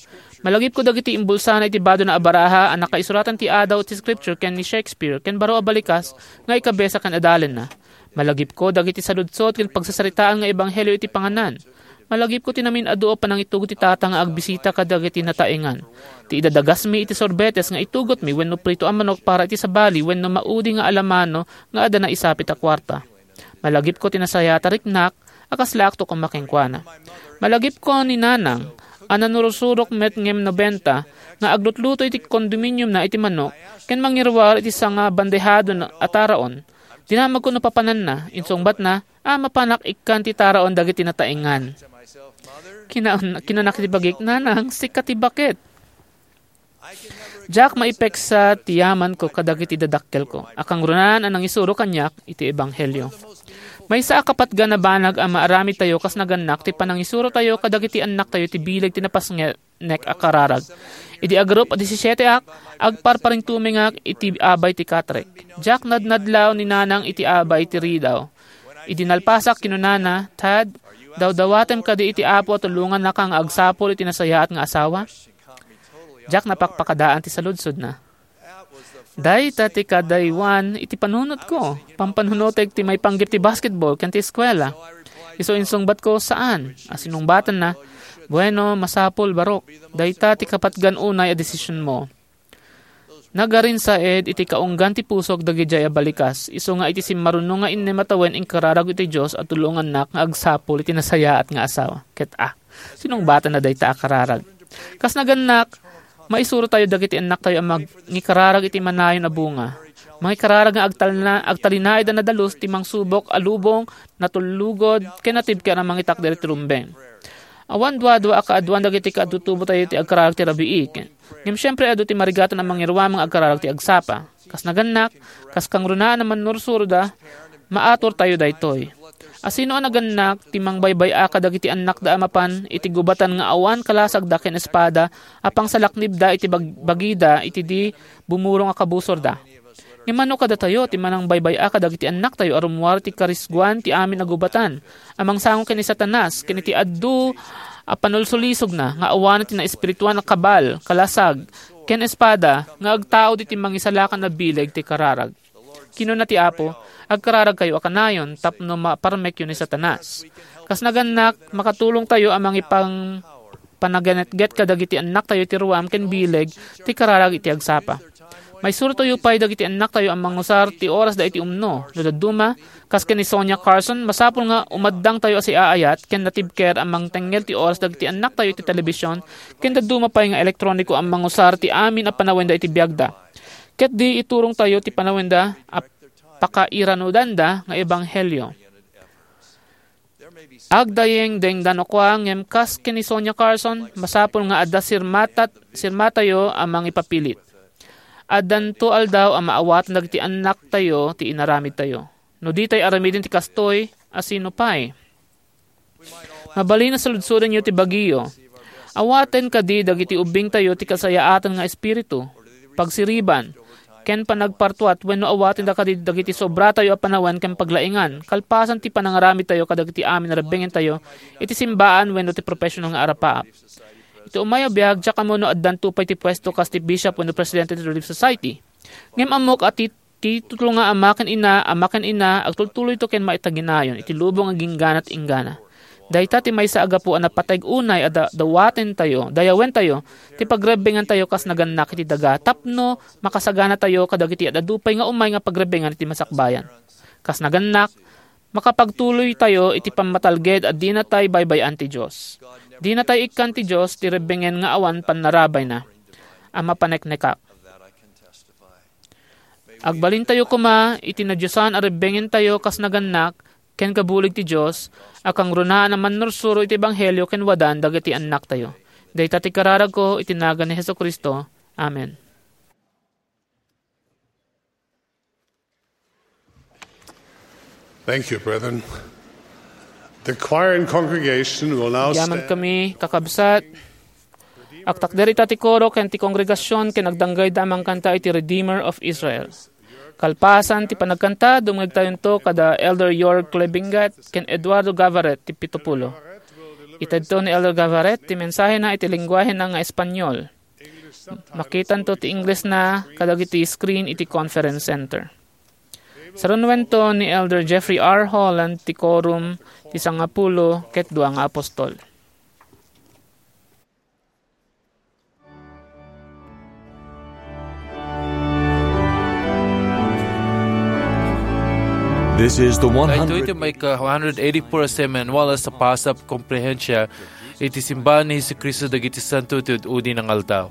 Malagipko dagiti imbulsana iti badona a baraha a nakaisuratan ti Adaw ti Scripture ken ni Shakespeare ken baro a balikas nga ikabesa ken adalenna. Malagipko dagiti saludsod ken pagsasaritaan nga ebanghelio iti panganan. Malagipko ti namin-adu a panangitugot ti tata nga agbisita kadagiti nataengan. Ti idadagasmi iti sorbetes nga itugotmi wenno prito a manok para iti sabali wenno maudi nga alamano nga adda naisapit a kuarta. Malagipko ti nasayaat a riknak a kaslaakto koma kenkuana. Malagipko ni Nanang a nanurusurok met ngem nobenta nga aglutluto iti kondominiumna iti manok ken mangiruar iti sanga bandehado a taraon. Dinamagko no papananna, insungbatna, a mapanak ikkan ti taraon dagiti nataengan. Kina-, kinanak iti bagik, "Nanang, sika ti baket." Diak maipeksa ti yamanko kadagiti dadakkelko a kangrunaan a nangisuro kaniak iti ebanghelio. Maysa a kapatgan a banag a maaramidtayo kas nagannak ti panangisurotayo kadagiti annaktayo ti bileg ti napasnek a kararag. Idi agarup a disisieteak, agparparintumengak iti abay ti Catholic. Diak nadnadlaw ni Nanang iti abay ti ridaw. Idi nalpasak, kinunana, "Tad, dawdawatem kadi iti Apo a tulongannaka nga agsapul iti nasayaat nga asawa?" Diak napakpakadaan ti saludsodna. Dayta ti kadaywan iti panunotko. Pampanunotek ti maipanggep ti basketball ken ti eskuela. Isu insungbatko, "Saan." A sinungbatanna, "Bueno, masapul, barok. Dayta ti kapatgan unay a desisionmo." Nagarinsaed iti kaunggan ti pusok dagidiay a balikas, isu nga iti simmaruno nga innem a tawen inkararagko iti Dios a tulongannak nga agsapul iti nasayaat nga asawa. Ket a, sinungbatanna dayta a kararag. Kas nagannak, maisurotayo dagiti annaktayo a mangikararag iti manayon a bunga. Mangikararag nga agtalna-, agtalinaed a nadalus ti mangsubok a lubong, natullugod, ken natibker a mangitakder iti rumbeng. Awan duadua a kaaduan dagiti kaadtutubotayo ti agkararag ti rabii. Ngem siempre, adu ti marigatan a mangiruameng nga agkararag ti agsapa. Kas nagannak, kas kangrunaan a mannursuroda, maaturtayo daytoy. Asino a nagannak ti mangbaybay-a kadagiti annakda a mapan iti gubatan nga awan kalasagda ken espada a pangsalaknibda iti bag-, bagida iti di bumurong a kabusorda? Ngem mano kadatayo ti manangbaybay-a kadagiti annaktayo a rummuar ti karisguan ti amin a gubatan a mangsango ken ni Satanas ken iti adu a panulsulisogna nga awanen ti naespirituan a kabal, kalasag, ken espada nga agtaud iti mangisalakan a bileg ti kararag? Kinuna ti Apo, "Agkararagkayo a kanayon tapno maparmekyo ni Satanas." Kas nagannak, makatulongtayo a mangipang-, panaganetget kadagiti annaktayo ti ruam ken bileg ti kararag iti agsapa. Maisurotayo pay dagiti annaktayo a mangusar ti orasda iti umno. No dadduma, kas ken ni Sonia Carson, masapul nga umaddangtayo a siaayat ken natibker a mangtengngel ti oras dagiti annaktayo iti telebision ken dadduma pay nga elektroniko a mangusar ti amin a panawenda iti biagda. Ket di iturongtayo ti panawenda a pakairanudanda nga ebanghelio. Agdayengdengdan kua, ngem kas ken ni Sonia Carson, masapul nga adda sirmatat-, sirmatayo a mangipapilit. Addanto aldaw a maawatan dagiti annaktayo ti inaramidtayo. No ditay aramiden ti kastoy, asino pay? Mabalin a saludsodenyo ti bagiyo. Awaten kadi dagiti ubbingtayo ti kasayaatan nga espiritu, pagsiriban, ken panagpartuat wenno awatenda kadi dagiti sobratayo a panawen ken paglaingan, kalpasan ti panangaramidtayo kadagiti amin a rebbengentayo iti simbaan wenno ti professional nga arapaap. Iti umay a biag, diak ammo no addanto pay ti puesto kas ti bishop wenno presidente ti Relief Society. Ngem ammok a ti titulo nga ama ken ina, ama ken ina, agtultuloyto ken maitaginayon iti lubong a ginggana't inggana. Dayta ti maysa a gapu a napateg unay a da-, dawatentayo, dayawentayo ti pagrebbengantayo kas nagannak iti daga tapno makasaganatayo kadagiti ad-adu pay nga umay nga pagrebbengan iti masakbayan. Kas nagannak, makapagtuloytayo iti pammatalged a dinatay baybay-an ti Dios. Dinatay ikkan ti Dios ti rebbengen nga awan pannarabayna a mapaneknekak. Agbalintayo koma iti nadiosan a rebbengentayo kas nagannak ken kabulig ti Dios a kangrunaan a mannursuro iti ebanghelio ken wadan dagiti annaktayo. Dayta ti kararagko iti nagan ni Jesu-Cristo. Amen. Thank you, brethren. The choir and congregation will now Agyaman stand. Kami, kakabsat. Agtakder ita ti koro ken ti kongregasion ken agdanggayda a mangkanta iti Redeemer of Israel. Kalpasan ti panagkanta, dumngegtayonto kada Elder York Klebingat ken Eduardo Gavaret ti pito pulo. Itedto ni Elder Gavaret ti mensahena iti lengguahena nga Espanyol. Makitanto ti Inglesna kadagiti screen iti Conference Center. Sarunuento ni Elder Jeffrey R. Holland ti Quorum ti Sangapulo ket Dua nga Apostol. This is the Daytoy ti one hundred maika one hundred eighty-four a Seminwales a Pasap Komplehensya iti Simbahan ni Jesu-Cristo dagiti Santo ti Ud-udi nga Aldaw.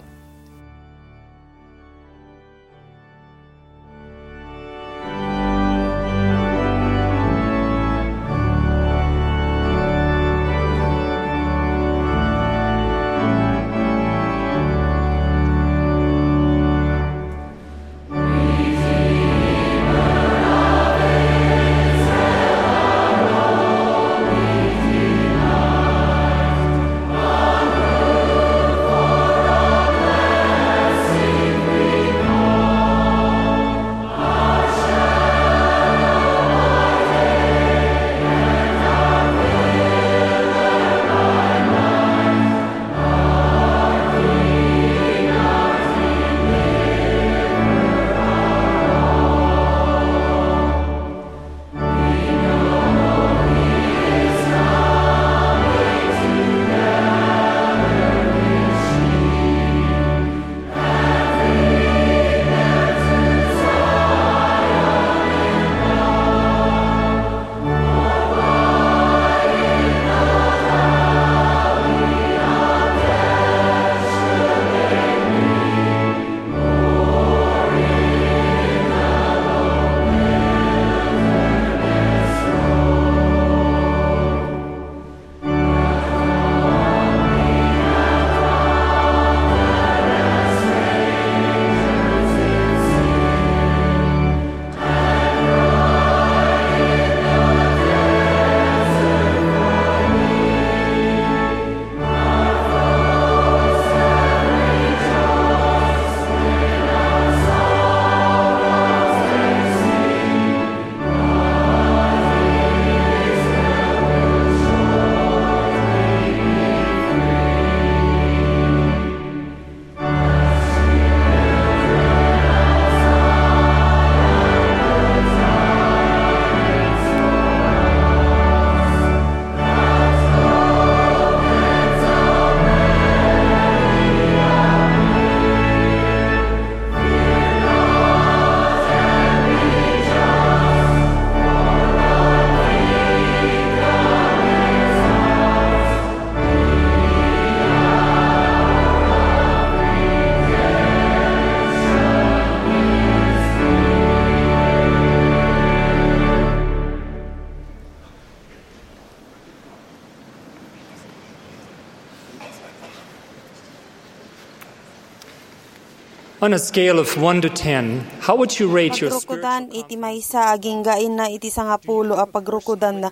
On a scale of one to ten, how would you rate your Pagrukodan spiritual iti maysa agingga inna iti sangapulo a pagrukodanna.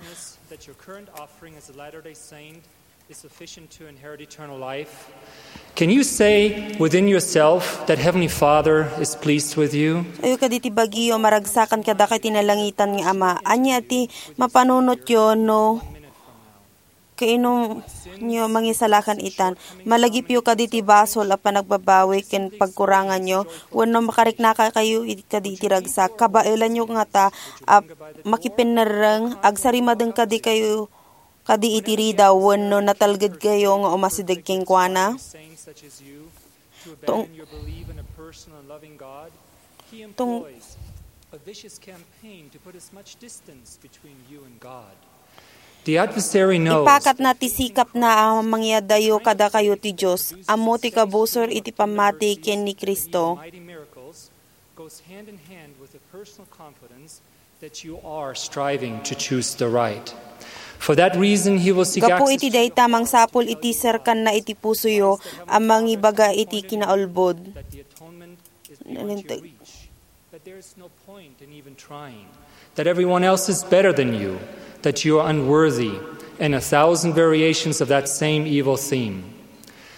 That your current offering as a Latter-day Saint is sufficient to inherit eternal life? Can you say within yourself that Heavenly Father is pleased with you? Ayo kaditi bagyo, maragsakan kadakayo ti nalangitan nga Ama. Ania ti mapanunotyo no kainumyo mangisalakan itan? Malagipyo kaditi basol a panagbabawi ken pagkuranganyo, wenno makariknaka kayo iti, kaditi ragsak? Kabaelanyo ngata a makipinnerreng, agsarimadeng kadikayo kadi iti ridaw wenno natalgedkayo nga umasideg kenkuana? Tong-, tong-, The adversary knows. Ipakatna ti sikapna a mangyadayo kadakayo ti Dios. Ammo ti kabusor iti pammati ken ni Cristo. Goes hand in hand with a personal confidence that you are striving to choose the right. For that reason, he will seek Gapu access iti to your dayta, heart mangsapul iti serkanna iti pusoyo a mangibaga iti kinaulbod. That the atonement is beyond your Nalinteg. Reach, that there is no point in even trying. That everyone else is better than you, that you are unworthy, and a thousand variations of that same evil theme.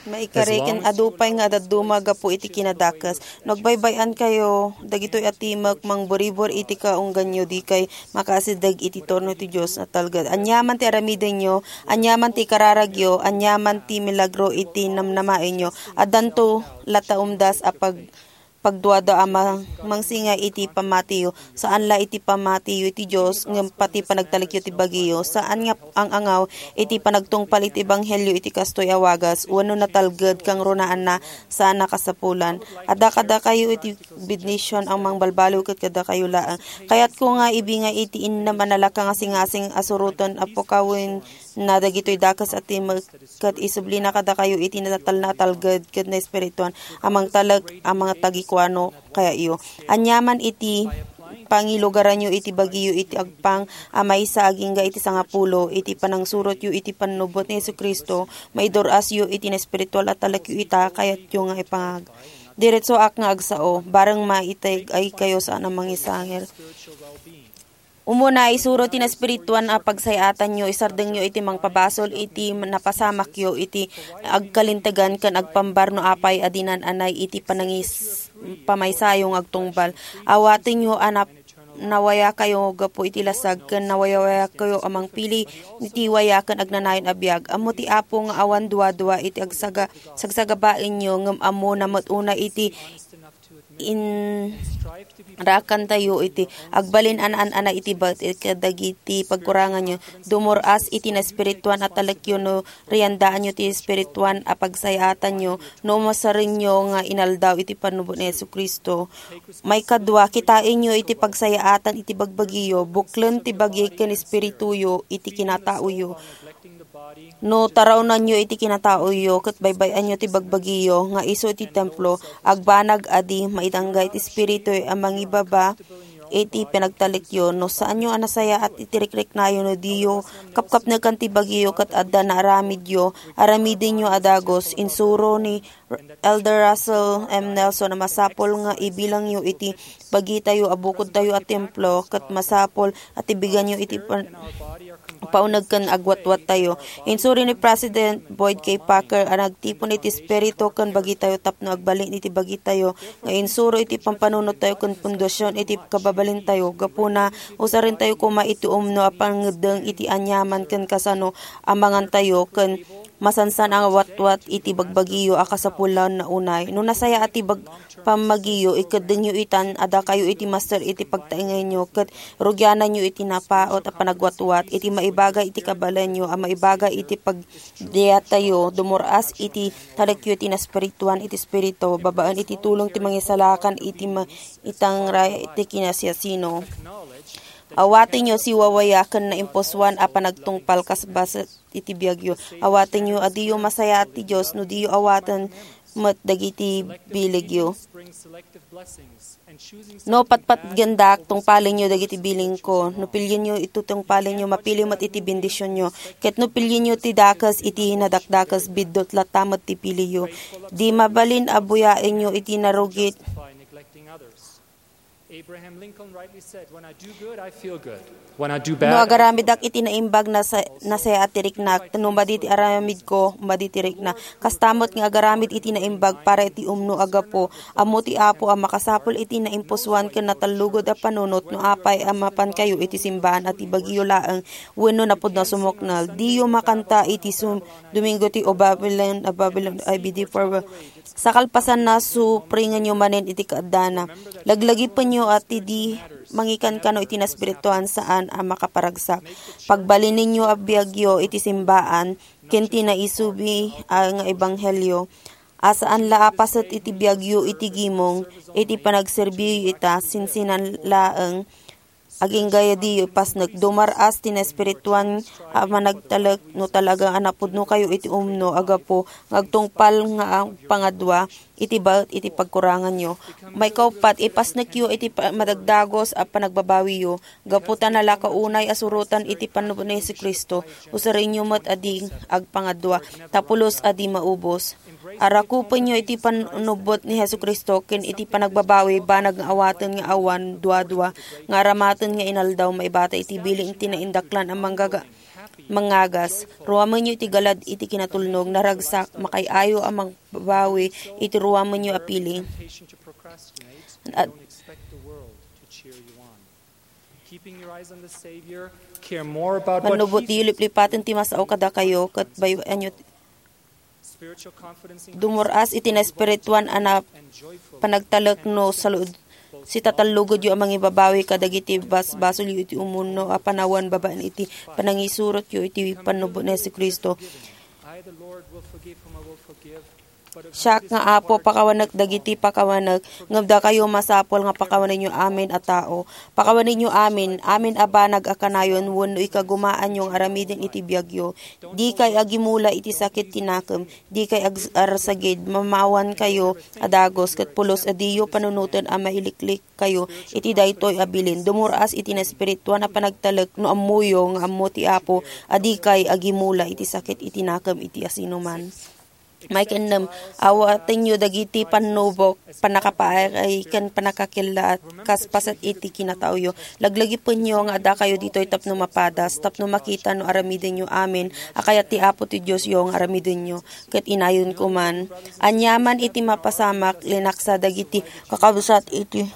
Maikari ken adu pay nga adadduma gapu iti kinadakes. No agbaybay-ankayo, dagitoy a timek mangburibur iti kaungganyo, dikay makaasideg iti turno ti Dios a talged. Aniaman ti aramidenyo, aniaman ti kararagyo, aniaman ti milagro iti namnamaenyo, addanto latta umdas a pag-, pagduadua a ma-, mangsinga iti pamatiyo. Saan la iti pamatiyo iti Dios, ngem pati panagtalekyo ti bagiyo. Saan nga ang-angaw iti panagtungpal iti ebanghelio iti kastoy a wagas, wenno natalged, kangrunaanna, saan a kasapulan. Adda kadakayo iti bendision a mangbalbaliw ket kadakayo laeng. Kayatko nga ibingay iti innem a nalaka nga singasing a suroten a pukawenna dagitoy dakes a timek ket isublina kadakayo iti natalna a talged ket naespirituan a mangtalek a mangtagikuano kayayo. Aniaman iti pangilugaranyo iti bagiyo iti agpang a maysa agingga iti sangapulo, iti panangsurotyo iti pannubbot ni Jesu-Cristo, maidur-asyo iti naespiritual a talekyo ita, kayatyo nga ipangag. Diretsoak nga agsao, bareng maiteg-ay kayo saan a mangisangir. Umuna, isuro ti naespirituan a pagsay-atanyo, isardengyo iti mangpabasol iti napasamakyo iti agkalintegan ken agpambar no apay a dinan-anay iti panangis-, pamaysayo nga agtungpal. Awatenyo a nap-, nawayakayo gapu iti lasag ken nawayawayakayo a mangpili iti waya ken agnanayon a biag. Ammo ti Apo nga awan duadua iti agsaga-, sagsagabaenyo, ngem ammona met unay iti inrakantayo iti agbalin a naan-anay iti baet kadagiti pagkuranganyo. Dumur-as iti naespirituan a talekyo no riandaanyo ti espirituan a pagsay-atanyo no umasarenyo nga inaldaw iti pannubbot ni Jesu-Cristo. Maikadua, kitaenyo iti pagsay-aatan iti bagbagiyo, buklen ti bagi ken espirituyo iti kinataoyo. No tarawnanyo iti kinataoyo ket baybay-anyo ti bagbagiyo nga isu iti templo, agbanag a di maitangga iti espiritu a mangibaba iti panagtalekyo. No saanyo a nasayaat iti rikriknayo no diyo kapkapnekan ti bagiyo ket adda naaramidyo, aramidenyo a dagus. Insuro ni Elder Russell M. Nelson a masapul nga ibilangyo iti bagitayo a bukodtayo a templo ket masapul a tibiganyo iti pan-, pauneg ken agwatwattayo. Insuri ni President Boyd K. Packer a nagtipon iti espiritu ken bagitayo tapno agbalin iti bagitayo nga insuro iti pampanunottayo ken pundasion iti kababalintayo. Gapuna, usarentayo koma iti umno a pangngeddeng iti aniaman ken kasano a mangantayo ken masansan a watwat iti bagbagiyo a kasapulanna unay. No nasayaat ti bag-, pammagiyo, ikeddengyo itan a dakayo iti master iti pagtaengenyo, ket rugiananyo iti napaut a panagwatwat, iti maibaga iti kabaelanyo a maibaga iti pagdayatayo, dumur-as iti talekyo iti naspirituan iti Espiritu, babaen iti tulong ti Mangisalakan iti ma-, itangray ti kinasiasino. Awatenyo siwawaya ken naimpusoan a panagtungpal kas bassit iti biagyo. Awatenyo a diyo masayaat ti Dios no diyo awaten met dagiti biligyo. No patpatgendak, tungpalenyo dagiti bilingko. No pilienyo iti tungpalenyo, mapili met iti bendisionyo. Ket no pilienyo ti dakes iti nadakdakes, biddut latta met ti piliyo. Di mabalin a buyaenyo iti narugit. Abraham Lincoln rightly said, "When I do good, I feel good. When I do bad, I feel bad." No agaramidak iti naimbag, nasa-, nasayaat ti riknak. No madi ti aramidko, madi ti rikna. Kasta met nga agaramid iti naimbag para iti umno a gapu. Ammo ti Apo a makasapul iti naimpusoan ken natallugod a panunot no apay a mapankayo iti simbaan a ti bagiyo laeng wenno napudno a sumuknel. Diyo makanta iti sum-, Domingo ti O Babylon, O Babylon, I B D four. Sa kalpasanna, supringenyo manen iti kaaddana. Laglagipenyo a ti di mangikankano iti naspirituan saan a makaparagsak. Pagbalinenyo a biagyo iti simbaan ken ti naisubi a nga ebanghelio. A saan la a paset iti biagyo iti gimong, iti panagserbiyo ita, sinsinan laeng. Agingga diyo ipasnek, dumar-as ti naespirituan a managtalek no talaga a napudnokayo iti umno a gapu nga agtungpal nga agpangadua iti baet iti pagkuranganyo. Maikauppat, ipasnekyo iti pa-, madagdagos a panagbabawiyo, gapu ta nalaka unay a surotan iti pannubbot ni Jesu-Cristo, usarenyo met a di agpangadua, ta pulos a di maubos. Arakupenyo iti pannubbot ni Jesu-Cristo ken iti panagbabawi banag nga awaten nga awan duadua nga aramaten nga inaldaw maibata iti bilin ti naindaklan a manggaga-, mangagas. Ruamenyo iti galad iti kinatulnog, naragsak, makay-ayo a mangbabawi iti ruamenyo a piling. At Keeping your eyes on the Savior, care more about what Mannubot he diyo liplipaten ti masao kadakayo, ket bayoanyo Dumur-as iti naespirituan a na-, panagtalek no salud-, sitatallugudyo a mangibabawi kadagiti basbasolyo iti umuno a panawen babaen iti panangisurotyo iti pannubo ni Jesu-Cristo. Siak nga Apo, pakawanek dagiti pakawanek, ngem dakayo masapul nga pakawanenyo amin a tao. Pakawanenyo amin, amin a banag a kanayon wenno ikagumaanyo nga aramiden iti biagyo. Dikay agimula iti sakit ti nakem, dikay ag-, arsagid, mamawankayo a dagus, ket pulos a diyo panunoten a mailiklikkayo iti daytoy a bilin. Dumur-as iti naespirituan a panagtalek no ammoyo nga ammo ti Apo a dikay agimula iti sakit iti nakem iti asinoman. Maikadua, awatenyo dagiti pannubok, pannakapaay, ken pannakakellaat, kas paset iti kinataoyo. Laglagipenyo nga addakayo ditoy tapno mapadas, tapno makita no aramidenyo amin a kayat ti Apo ti Diosyo nga aramidenyo, ket inayonko man. Aniaman iti mapasamak, linaksa dagiti kakabsat iti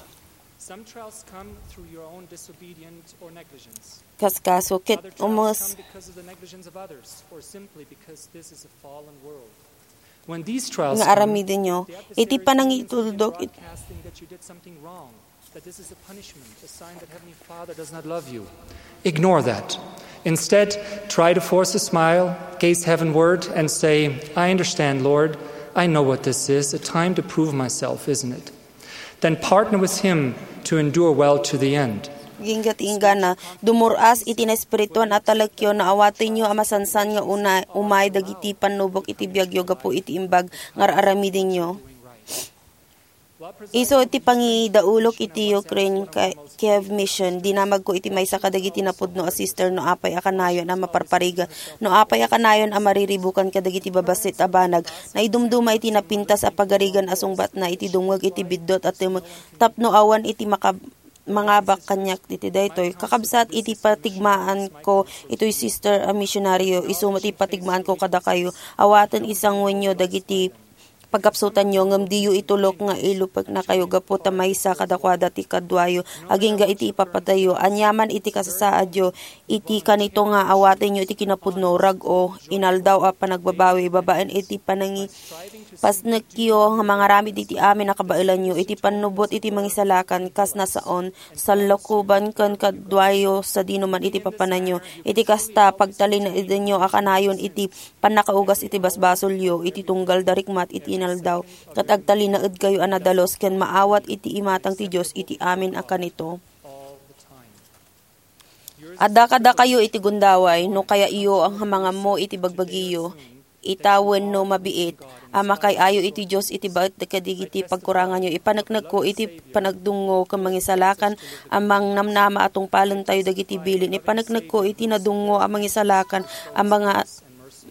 Some trials come through your own disobedience or negligence. Kaskaso, ket Other trials umus- come because of the negligence of others or simply because this is a fallen world. When these trials nga come, aramidenyo, they have the iti serious tendency to panangitudok it- broadcasting that you did something wrong, that this is a punishment, a sign that Heavenly Father does not love you. Ignore that. Instead, try to force a smile, gaze heavenward, and say, "I understand, Lord. I know what this is, a time to prove myself, isn't it?" Then partner with Him to endure well to the end. Agingga ti inggana, dumur-as iti naespirituan a talekyo, no awatenyo a masansan nga una-, umay dagiti pannubok iti biagyo gapu iti imbag nga ar-aramidenyo. Isu iti pangidaulok iti Ukraine ka-, Kiev Mission, dinamagko iti maysa kadagiti napudno a sister no apay a kanayon a maparparigan, no apay a kanayon a mariribukan kadagiti babassit a banag. Naidumduma iti napintas a pagarigan a sungbatna iti dungngeg iti biddut a tumeng tapno awan iti makab-, mangabak kaniak iti daytoy. Kakabsat, iti patigmaanko itoy sister a misionaryo, isu met ti patigmaanko kadakayo. Awaten isanguenyo dagiti pagkapsutanyo, ngem diyo itulok nga ilupeknakayo gapu ta maysa kadakuada ti kaduayo, agingga iti ipapatayyo. Aniaman iti kasasaadyo, iti kanito nga awatenyo iti kinapudno, rag-o, inaldaw a panagbabawi, babaen iti panangipasnekyo nga mangaramid iti amin a kabaelanyo, iti pannubot iti mangisalakan, kas nasaon, sallokoban ken kaduayo sadino man iti papananyo. Iti kasta, pagtalinaedenyo a kanayon iti pannakaugas iti basbasolyo iti tunggal darikmat iti inaldaw, ket agtalinaedkayo a nadalus ken maawat iti imatang ti Dios iti amin a kanito. Adda kadakayo iti gundaway, no kayatyo nga mangammo iti bagbagiyo, ita wenno mabiit, a makay-ayo iti Dios iti baet kadagiti pagkuranganyo. Ipaneknekko iti panagdungngo ken mangisalakan a mangnamnama a tungpalentayo dagiti bilin. Ipaneknekko iti nadungngo a mangisalakan a manga-,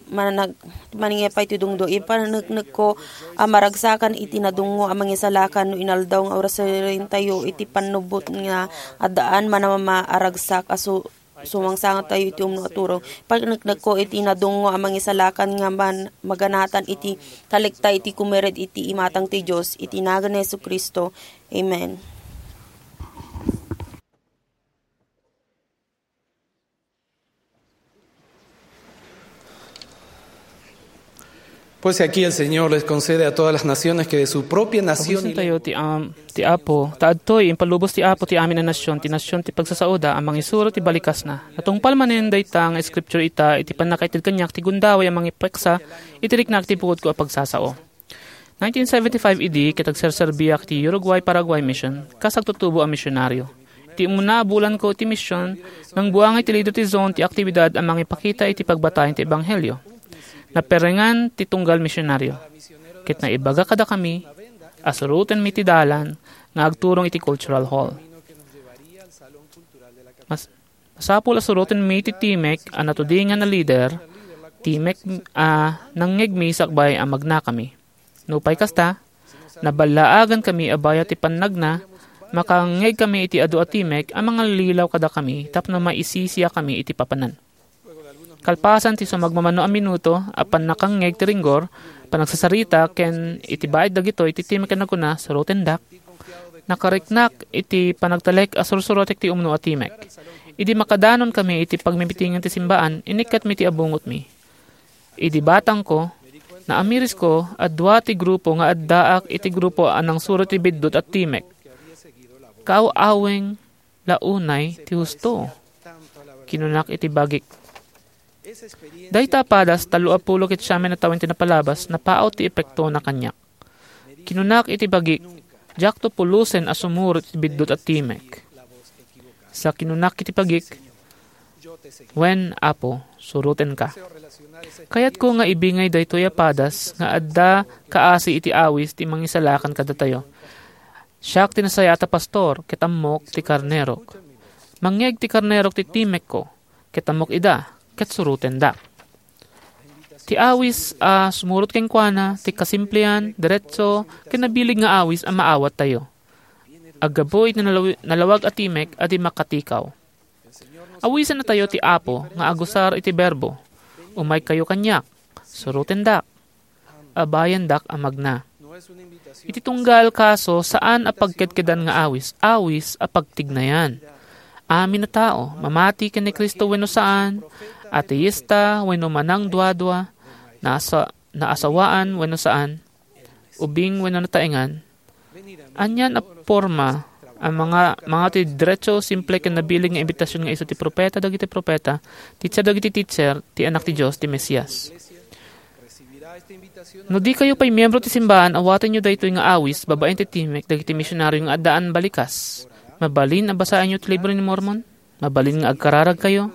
manag-, manangipay ti dungdo. Ipaneknekko a maragsakan iti nadungngo a mangisalakan no inaldaw nga urasentayo iti pannubot nga addaan manamama a ragsak a su-, sumangsangtayo iti umno a turong. Ipaneknekko iti nadungngo a mangisalakan nga man-, maganatan iti kalikta iti kumired iti imatang ti Dios iti nagan ni Jesu-Cristo. Amen. Pues aquí el Señor les concede a todas las naciones que de su propia nación y Pabusintayo ti, am, ti Apo, ta adtoy impalubos ti Apo ti amin a nasion, ti nasion ti pagsasaoda a mangisuro ti balikasna. Natungpal manen dayta nga scripture ita iti pannakaitedko kaniak ti gundaway a mangipeksa iti riknak ti bukodko a pagsasao. Nineteen seventy-five idi ket agserserbiak ti Uruguay-Paraguay Mission kas agtutubo a misionaryo. Ti umuna a bulanko iti mission, nangbuangay ti leader ti zone ti aktibidad a mangipakita iti pagbatayan ti ebanghelio. Naperengan ti tunggal misionaryo, ket naibaga kadakami a surotenmi ti dalan nga agturong iti cultural hall. Mas-, masapul a surotenmi ti timek a natudingan a leader, timek a nangngegmi sakbay a magnakami. Nupay kasta, naballaagankami a bayat ti pannagna, makangngegkami iti adu a timek a mangallilaw kadakami tapno maisisiakami iti papanan. Kalpasan ti sumagmamano a minuto a pannakangngeg ti ringgor, panagsasarita ken iti baet dagitoy ti timek a nagkuna, "Surotendak." Nakariknak iti panagtalek a sursurotek ti umno a timek. Idi makadanon kami iti pagmimitingen ti simbaan, inikkatmi ti abungotmi. Idi batangko, naamirisko a dua ti grupo nga addaak iti grupo a nangsurot ti biddut a timek. Kaaw-aweng la unay ti husto, kinunak iti bagik. Dayta a padas, tallo a pulo ket siamen a tawen ti napalabas, napaaw ti epektona kaniak. Kinunak iti bagik, "Diakto pulosen a sumurot iti biddut a timek." Sa kinunak iti bagik, "Wen, Apo, surotenka." Kayatko nga ibingay daytoy a padas nga adda kaasi iti awis ti mangisalakan kadatayo. Siak ti nasayaat a pastor, ket ammok ti karnerok. Mangngeg ti karnerok ti timekko, ket ammok ida, ket surotendak. Ti awis a sumurot kenkuana, ti kasimplian, diretso, ken nabileg nga awis a maawattayo. Aggapu iti nalawi-, nalawag a timek a di makatikaw. Awisennatayo ti Apo nga agusar iti berbo, "Umaykayo kaniak, surotendak, abayandak a magna." Iti tunggal kaso, saan a pagkedkedan nga awis, awis a pagtignayan. Amin a tao, mamati ken ni Cristo wenno saan, ateista wenno manangduadua, naasa-, naasawaan wenno saan, ubing wenno nataengan, anian a porma a manga-, mangawat ti diretso, simple, ken nabileg nga imbitasion nga isu ti profeta dagiti profeta, teacher dagiti teacher, ti Anak ti Dios, ti Mesias. No dikayo pay miembro ti simbaan, awatenyo daytoy nga awis babaen ti timek dagiti misionario nga addaan balikas. Mabalin a basaenyo ti Libro ni Mormon? Mabalin nga agkararagkayo?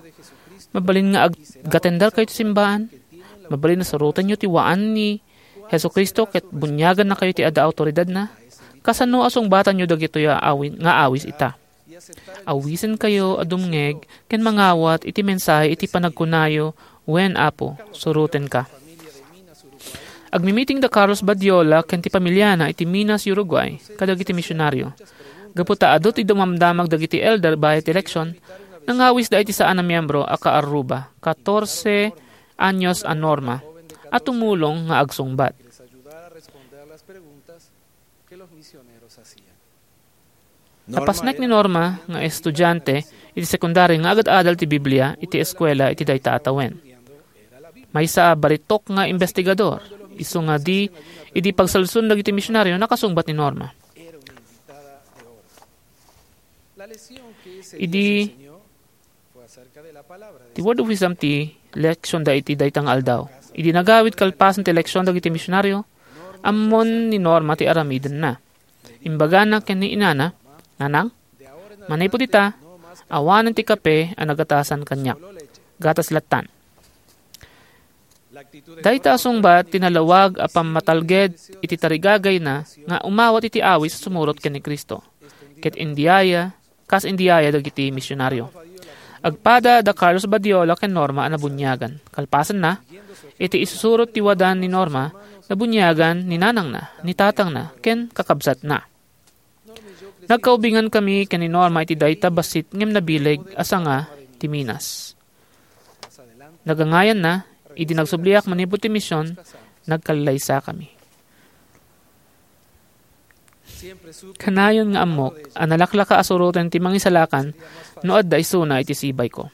Mabalin nga ag-, gatenderkayo ti simbaan? Mabalin a surotenyo ti waan ni Jesu-Cristo ket buniagannakayo ti adda awtoridadna? Kasano a sungbatanyo dagitoy a awi-, nga awis ita? Awisenkayo a dumngeg ken mangawat iti mensahe iti panagkunayo, "Wen, Apo, surotenka." Agmimiting da Carlos Badiola ken ti pamiliana iti Minas, Uruguay, kadagiti misionario. Gapu ta adu ti dumamdamag dagiti elder bayat ti eleksyon, nangawisda iti saan a miembro a kaarruba, katorse anyos a Norma, a tumulong nga agsungbat. Napasnek ni Norma nga estudiante iti sekundari nga agad-adal ti Biblia iti eskuela iti dayta a tawen. Maysa a baritok nga imbestigador, isu nga di, idi pagsalsun dagiti misionario, nakasungbat ni Norma. Idi ti Word of Wisdom ti leksionda iti dayta nga aldaw. Idi nagawid kalpasan ti leksion dagiti misionario, ammon ni Norma ti aramidenna. Imbagana ken ni inana, "Nanang, manipud ita, awanen ti kape a nagatasan kaniak. Gatas lattan." Dayta a sungbat ti nalawag a pammatalged iti tarigagayna nga umawat iti awis a sumurot ken ni Cristo. Ket indiaya, kas indiaya dagiti misionario. Agpada da Carlos Badiola ken Norma a nabuniagan. Kalpasanna, iti isusurot ti wadan ni Norma, nabuniagan ni nanangna, ni tatangna, ken kakabsatna. Nagkaubingan kami ken ni Norma iti dayta bassit ngem nabileg a sanga ti Minas. Nagangayanna, idi nagsubliak manipud ti mision, nagkallaysa kami. Kanayon nga ammok a nalaklaka a suroten ti Mangisalakan no adda isuna iti sibayko.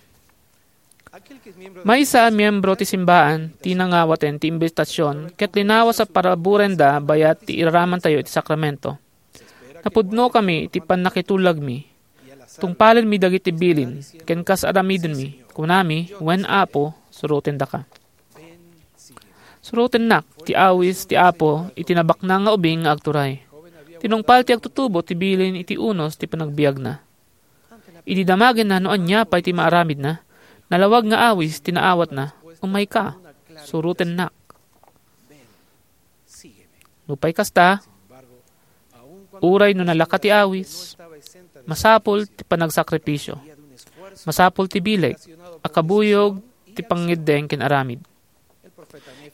Maysa a miembro ti simbaan ti nangawaten ti imbitasion ket linawas a paraburenda bayat ti iraramantayo iti sakramento. Napudnokami iti pannakitulagmi. Tungpalenmi dagiti bilin, ken kas aramidenmi, kunami, "Wen, Apo, surotendaka." Surotennak ti awis ti Apo iti nabaknang nga ubing nga agturay. Tinungpal ti agtutubo ti bilin iti unos ti panagbiagna. Idi damagenna no ania pay ti maaramidna, nalawag nga awis ti naawatna, "Umayka, surotennak." Nupay kasta, uray no nalaka ti awis, masapul ti panagsakripisio. Masapul ti bileg a kabuyog ti pangngeddeng ken aramid.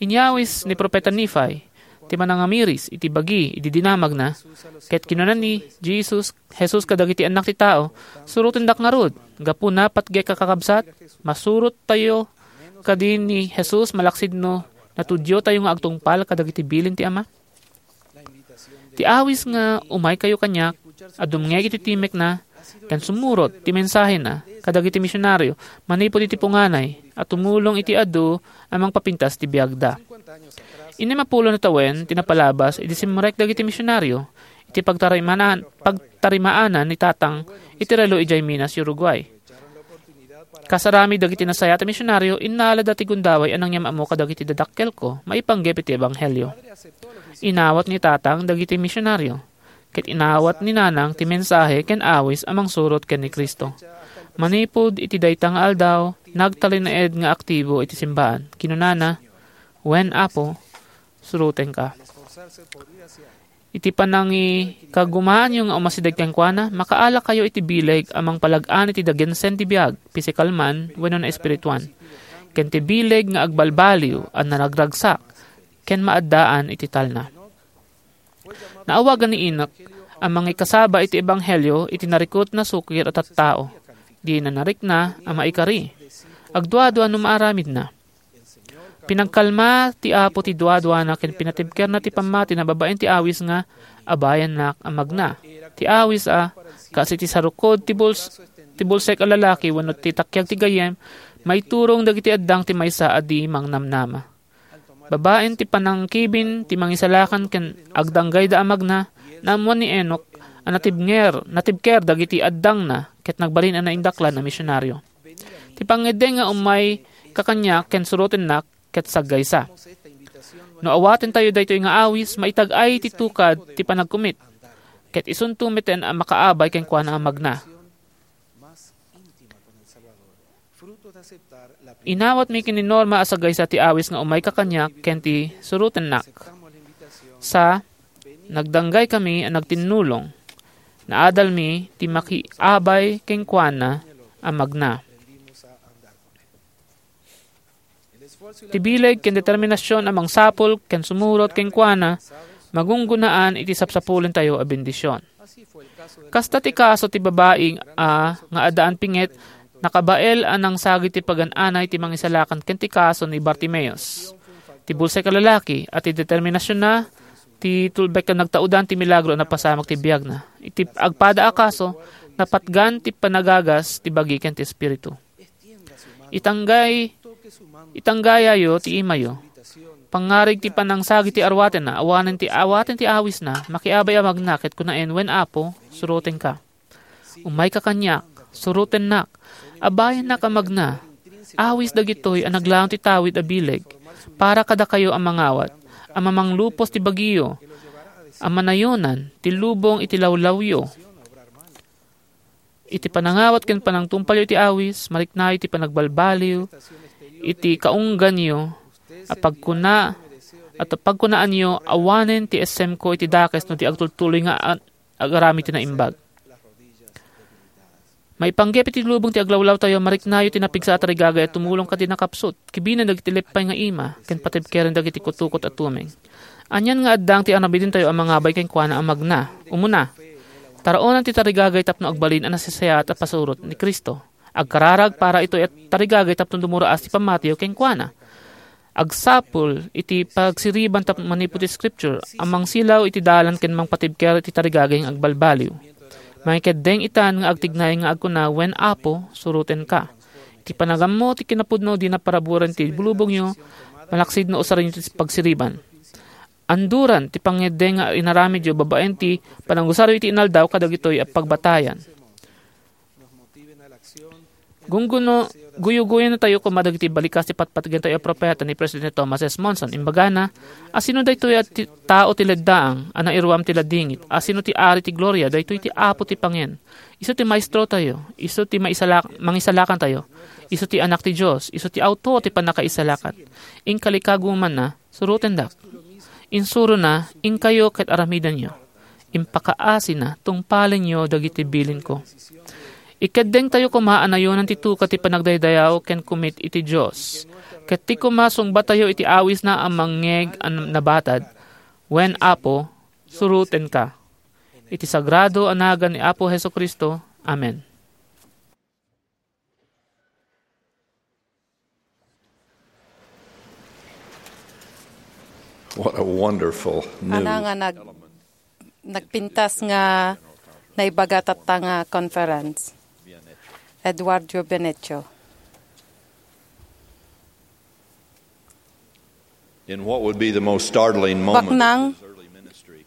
Inyawis ni Profeta Nephi ti manangamiris iti bagi idi dinamagna, ket kinuna ni Jesus, Jesus kadagiti annak ti tao, "Surotendak ngarud, gapuna, patgek a kakabsat, masurottayo Kadi ni Jesus malaksid no natudiotayo nga agtungpal kadagiti bilin ti Ama? Ti awis nga "Umaykayo kaniak" a dumngeg iti timekna ken sumurot ti mensahena kadagiti misionario manipud iti punganay a tumulong iti adu a mangpapintas ti biagda. Innem a pulo nga tawen ti napalabas idi simrek dagiti misionario iti pagtarimaan-, pagtarimaanan ni Tatang iti relo idiay Minas, Uruguay. Kasarami dagiti nasayaat a misionario, innalada ti gundaway a nangyam-ammo kadagiti dadakkelko maipanggep iti ebanghelio. Inawat ni Tatang dagiti misionario, ket inawat ni Nanang ti mensahe ken awis a mangsurot ken ni Cristo. Manipud iti dayta nga aldaw, nagtalinaed nga aktibo iti simbaan. Kinunana, "Wen, Apo, surotenka." Iti panangikagumaanyo nga umasideg kenkuana, makaalakayo iti bileg a mangpalag-an iti dagensen ti biag, pisikal man wenno naespirituan, ken ti bileg nga agbalbaliw a naragragsak ken maaddaan iti talna. Naawagan ni Enoc a mangikasaba iti ebanghelio iti narikut a sukir a tattao. Dina narikna a maikari. Agduadua no maaramidna. Pinagkalma ti Apo ti duaduana ken pinatibkerna ti pammatina babaen ti awis nga "Abayannak a magna." Ti awis a, kas iti sarukod ti buls-, ti bulsek a lalaki wenno ti takiag ti gayyem, maiturong dagiti addang ti maysa a di mangnamnama. Babaen ti panangkibin ti mangisalakan ken agdanggayda a magna, naammuan ni Enoc a natibnger, natibker dagiti addangna ket nagbalin a naindaklan a misionario. Ti pangngeddeng nga "Umayka kaniak ken surotennak" ket saggaysa. No awatentayo daytoy nga awis, maitag-ay ti tukad ti panagkumit, ket isunto metten a makaabay kenkuana a magna. Inawatmi ken ni Norma a saggaysa ti awis nga "Umayka kaniak" ken ti "Surotennak." Sa, nagdanggaykami a nagtinnulong. Naadalmi ti makiabay kenkuana a magna. Ti bileg ken determinasion a mangsapul ken sumurot kenkuana, magunggunaan iti sapsapulentayo a bendision. Kasta ti kaso ti babai a nga addaan pinget, nakabael a nangsagid ti pagan-anay ti mangisalakan ken ti kaso ni Bartimeus. Ti bulsek a lalaki a ti determinasionna ti tulbek a nagtaudan ti milagro a napasamak ti biagna. Iti agpada a kaso, napatgan ti panagagas ti bagi ken ti espiritu. Itanggay, itanggayayo ti imayo. Pangngarig ti panangsagid ti arwatenna, awanen ti awaten ti awisna, makiabay a magna ket kunaen, "Wen, Apo, surotenka." "Umayka kaniak, surotennak, abayannak a magna." Awis dagitoy a naglaon ti tawid a bileg para kadakayo a mangawat, a mamanglupos ti bagiyo, a manayonan ti lubong iti lawlawyo. Iti panangawat ken panangtungpalyo iti awis, mariknayo ti panagbalbaliw iti kaungganyo a pagkuna-, a pagkunaanyo awanen ti essemko iti dakes no di agtultuloy nga a-, agaramid ti naimbag. Maipanggep iti lubong ti aglawlawtayo, mariknayo ti napigsa a tarigagay a tumulong kadi nakapsut, kibinen dagiti leppay nga ima, ken patibkeren dagiti kutukot a tumeng. Anian nga addang ti aramidentayo a mangabay kenkuana a magna. Umuna, taraonan ti tarigagay tapno agbalin a nasasayaat a pasurot ni Cristo. Agkararag para itoy a tarigagay tapno dumuraas ti pammatiyo kenkuana. Agsapul iti pagsiriban tapno manipud ti Scripture a mangsilaw iti dalan ken mangpatibker iti tarigagay nga agbalbaliw. Mangikeddeng itan nga agtignay nga agkuna, "Wen, Apo, surotenka." Iti panagammo ti kinapudno, dina paraburen ti lubongyo, malaksid no usarenyo ti pagsiriban. Anduran ti pangngeddeng nga inaramidyo babaen ti panangusaryo iti inaldaw kadagitoy a pagbatayan. Gungguno, guyugoyennatayo koma dagiti balikas ti patpatgentayo a propeta ni Presidente Thomas S. Monson. Imbagana, "Asino daytoy a ti-, tao ti leddaang a nairuam ti ladingit? Asino ti Ari ti Gloria? Daytoy ti Apo ti Pangen. Isu ti Maestrotayo. Isu ti maisalak-, Mangisalakantayo. Isu ti Anak ti Dios. Isu ti Autor ti pannakaisalakan. Inka likagumanna, surotendak. Insurona, inkayo ket aramidenyo. Impakaasina, tungpalenyo dagiti bilinko." Ikeddengtayo koma a nayonan ti tukad ti panagdaydayaw ken kumit iti Dios. Ket ti koma sungbatayo iti awisna a mangngeg a nabatad, "Wen, Apo, surotenka." Iti sagrado a nagan ni Apo Jesu-Cristo. Amen. What a wonderful new Ana nga nag-, nagpintas nga naibaga tatta nga conference. Eduardo Benecho. In what would be the most startling moment Baknang of his early ministry,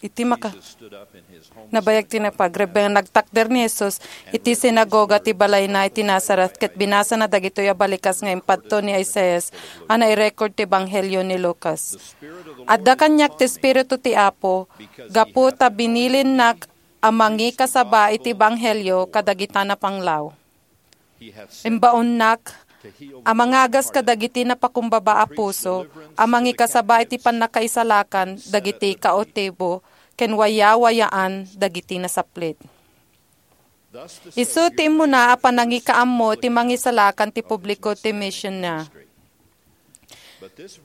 iti maka-, Jesus stood up in his home nabayag ti napagreb nga nagtakder ni Jesus iti sinagoga ti balayna iti Nazaret, ket binasana dagitoy a balikas nga impadto ni Isaias a nairecord ti Ebanghelio ni Lucas. Adda kaniak ti Espiritu ti Apo, gapu ta binilinnak a mangikasaba iti Ebanghelio kadagita napanglaw. Imbaonnak a mangagas kadagiti napakumbaba a puso, a mangikasaba iti pannakaisalakan dagiti kautibo ken wayawayaan dagiti nasaplit. Isu ti immuna a panangikaammo iti mangisalakan ti publiko ti misionna.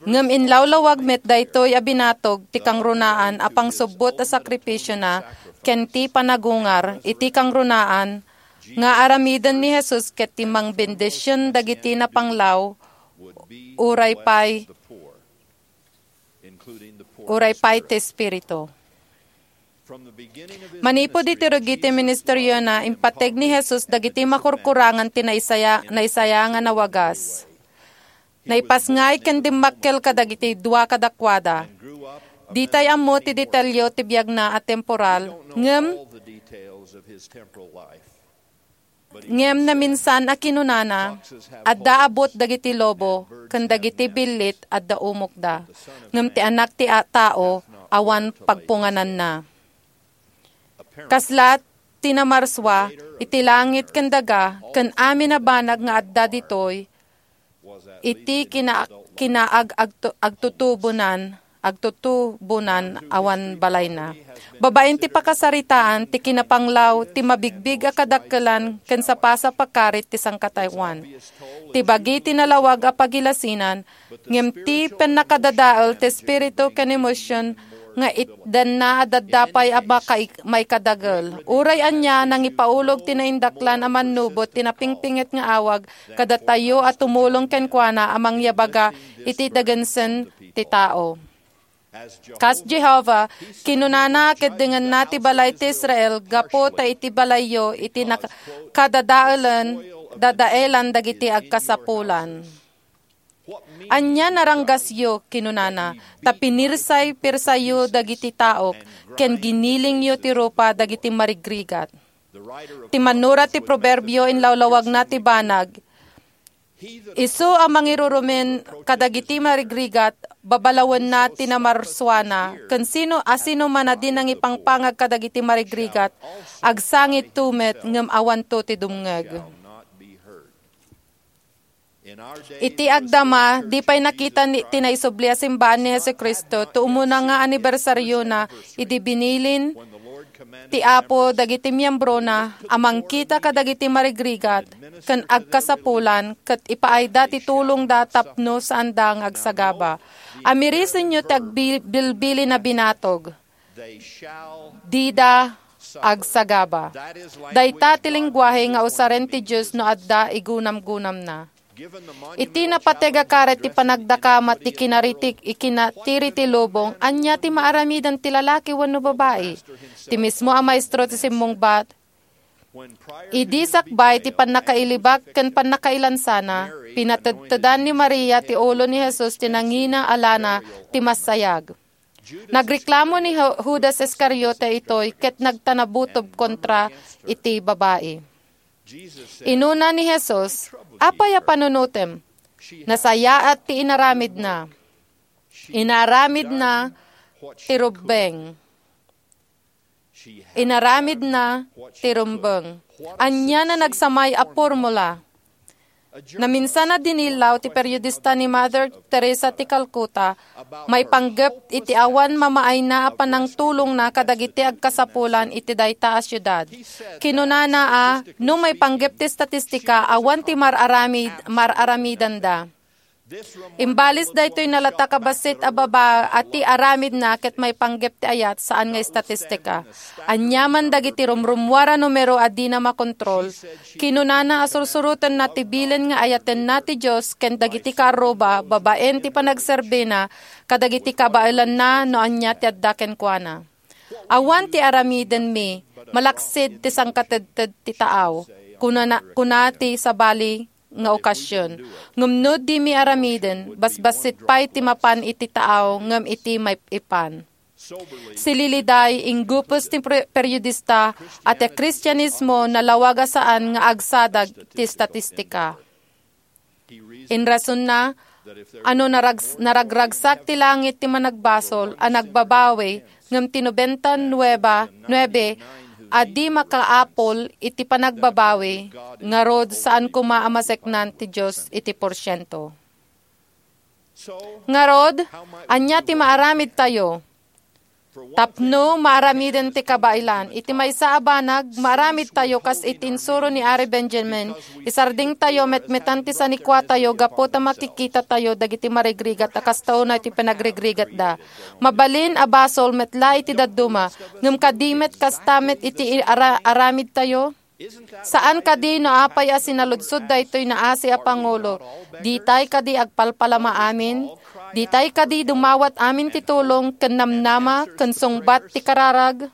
Ngem inlawlawag met daytoy a binatog ti kangrunaan a pangsubbot a sakrifisiona ken ti panagungar iti kangrunaan nga aramiden ni Jesus ket ti mangbendision dagiti napanglaw uray pay, uray pay ti Espiritu. Manipud iti rugi ti ministeriona, impateg ni Jesus dagiti makurkurangan ti naisaya-, naisaya nga nawagas. Naipasngay ken dimmakkel kadagiti dua kadakuada. Ditay ammo ti detalyo ti biagna a temporal, ngem Ngem naminsan a kinunana, adda abut dagiti lobo ken dagiti billit adda umokda, ngem ti Anak ti a-, Tao awan pagpungananna. Kasla ti namarsua iti langit ken daga ken amin a banag nga adda ditoy, iti kina-, kinaag-, agtu-, agtutubonan, agtutubonan awan balayna. Babaen ti pakasaritaan, ti kinapanglaw, ti mabigbig a kadakkelan, ken sapasap a karit ti sangkataoan. Ti bagi ti nalawag a pagilasinan, ngem ti pannakadadael ti espiritu ken emosion nga itdanna a dadda pay a makai-, maikadagel. Uray ania, nangipaulog ti naindaklan a mannubot ti napingpinget nga awag kadatayo a tumulong kenkuana a mangyabaga iti dagensen ti tao. Kas Jehovah, kinunana a keddengenna ti balay ti Israel gapu ta iti balayyo iti nak-, kadadaelen, dadaelan dagiti agkasapulan. Ania naranggasyo, kinunana, ta pinirsay-pirsayyo dagiti taok, ken ginilingyo ti rupa dagiti marigrigat. Ti mannurat ti Proverbio inlawlawagna ti banag, isu a mangirurumen kadagiti marigrigat, babalawenna ti namarsuana, ken sino a sino man a di nangipangpangag kadagiti marigrigat, agsangitto met ngem awanto ti dumngeg. Iti agdama, di pay nakita ni, ti naisubli a simbaan ni Jesu-Cristo ti umuna nga anibersariona idi binilin ti Apo dagiti miembrona a mangkita kadagiti marigrigat ken agkasapulan ket ipaayda ti tulongda tapno saanda nga agsagaba. Amirisenyo ti agbil-, bilbilin a binatog. Dida agsagaba. Dayta ti lenguahe nga usaren ti Dios no adda igunamgunamna. Iti napateg a karet ti panagdakamat ti kinaritik-, ikinatiri ti lubong, ania ti maaramiden ti lalaki wenno babai? Ti mismo a maestro ti simmungbat, idi sakbay ti pannakailibak ken pannakailansana, pinatedtedan ni Maria ti ulo ni Jesus ti nangina a lana ti massayag. Nagreklamo ni Ju-, Judas Iscariote itoy ket nagtanabutob kontra iti babai. Inuna ni Jesus, "Apay a panunotem? Nasayaat ti inaramidna. Inaramidna ti rumbeng." Inaramidna ti rumbeng. Ania na nagsamay a formula? Naminsan a dinillaw ti periodista ni Mother Teresa ti Calcutta, maipanggep iti awan mamaayna a panangtulongna kadagiti agkasapulan iti dayta a siudad. Kinunana a, no maipanggep ti estatistika, awan ti mar-aramid-, mar-aramidanda. Imbalis daytoy nalatak a bassit a baba a ti aramidna ket maipanggep ti ayat, saan nga estatistika. Aniaman dagiti rumrummuar a numero a dina makontrol. Kinunana a sursurotenna ti bilin nga ayatenna ti Dios ken dagiti kaarruba babaen ti panagserbina kadagiti kabaelanna no ania ti adda kenkuana. "Awan ti aramidenmi, malaksid ti sangkatedted ti taaw," kuna, kuna ti sabali nga okasion. Ngem no dimi aramiden, basbassit pay ti mapan iti taaw ngem iti maip-ipan. Sililiday, inggupes ti pre-, periodista a ti Kristianismo nalawag a saan nga agsadag ti estatistika. Inrasonna, ano narags-, naragragsak ti langit ti managbasol a nagbabawi, ngem ti nobenta nueba, nuebe a di makaapul iti panagbabawi, ngarud saan koma a maseknan ti Dios iti porsiento. Ngarud, ania ti maaramidtayo? Tapno maaramiden ti kabaelan, iti maysa a banag, maaramidtayo kas iti insuro ni Ari Benjamin, isardingtayo metmetan ti sanikuatayo gapu ta makikitatayo dagiti marigrigat a kasta unay ti panagrigrigatda. Mabalin a basol met la iti dadduma, ngem kadi met kasta met iti ara-, aramidtayo? Saan kadi no apay a sinaludsod daytoy naasi a pangulo? Ditay kadi agpalpalama amin? Ditay kadi dumawat amin ti tulong ken namnama ken sungbat ti kararag?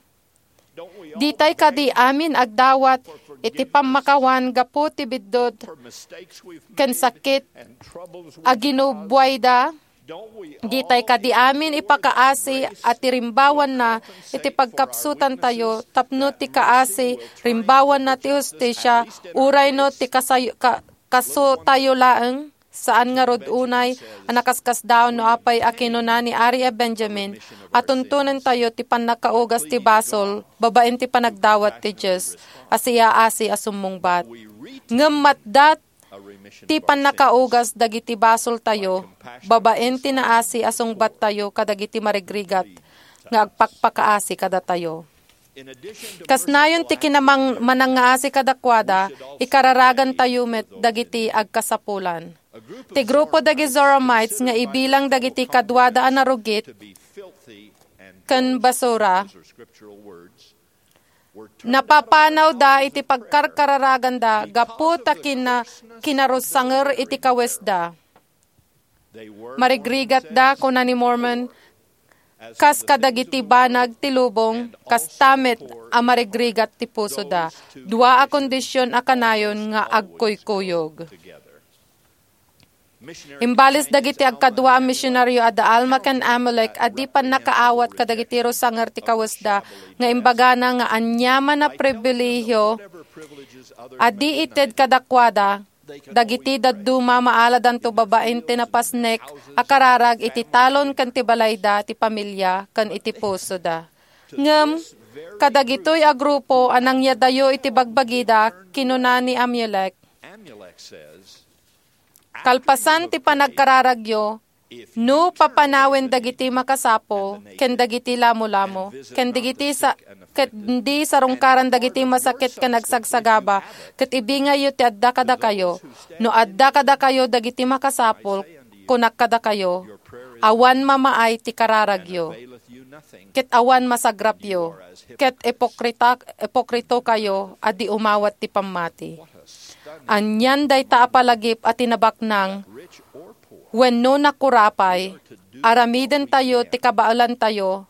Ditay kadi amin agdawat iti pammakawan gapu ti biddut ken sakit a ginubuayda? Ditay kadi amin ipakaasi a ti rimbawanna iti pagkapsutantayo tapno ti kaasi, rimbawanna ti hustisia, uray no ti kasay-, ka-, kasotayo laeng? Saan ngarud unay a nakaskasdaon no apay a kinuna ni Ari a Benjamin a tuntonentayo ti pannakaugas ti basol babaen ti panagdawat ti Dios a siyaasi a summungbat. Ngem matda ti pannakaugas dagiti basoltayo babaen ti naasi a sungbattayo kadagiti marigrigat nga agpakpakaasi kadatayo. Kas nayon ti kinamang-, manangngaasi kadakuada, ikararagantayo met dagiti agkasapulan. Ti grupo dagiti Zoramites nga ibilang dagiti kaduada a narugit ken basura, napapanawda iti pagkarkararaganda gapu ta kina-, kinarusanger iti kawesda. Marigrigatda, kuna ni Mormon, kas kadagiti banag ti lubong, kasta met a marigrigat ti pusoda. Dua a kondision a kanayon nga agkuykuyog. Imbalis dagiti agkadua a misionario a da Alma ken Amulek a di pannakaawat kadagiti rusanger ti kawesda nga imbagana nga aniaman a pribilehiyo a di ited kadakuada, dagiti dadduma maaladanto babaen ti napasnek a kararag iti talon ken ti balayda, ti pamilia, ken iti pusoda. Ngem, kadagitoy a grupo a nangyadayo iti bagbagida, kinuna ni Amulek, kalpasan ti panagkararagyo, no papanawen dagiti makasapul ken dagiti lamolamo, ken dagiti sa-, ket di sarungkaran dagiti masakit ken agsagsagaba, ket ibingayyo ti adda kadakayo. No adda kadakayo dagiti makasapul, kunak kadakayo, awan mamaay ti kararagyo, ket awan masagrapyo, ket ipokrita-, ipokritokayo a di umawat ti pammati. Anian dayta a palagip a tinabaknang wenno nakurapay, aramidentayo ti kabaelantayo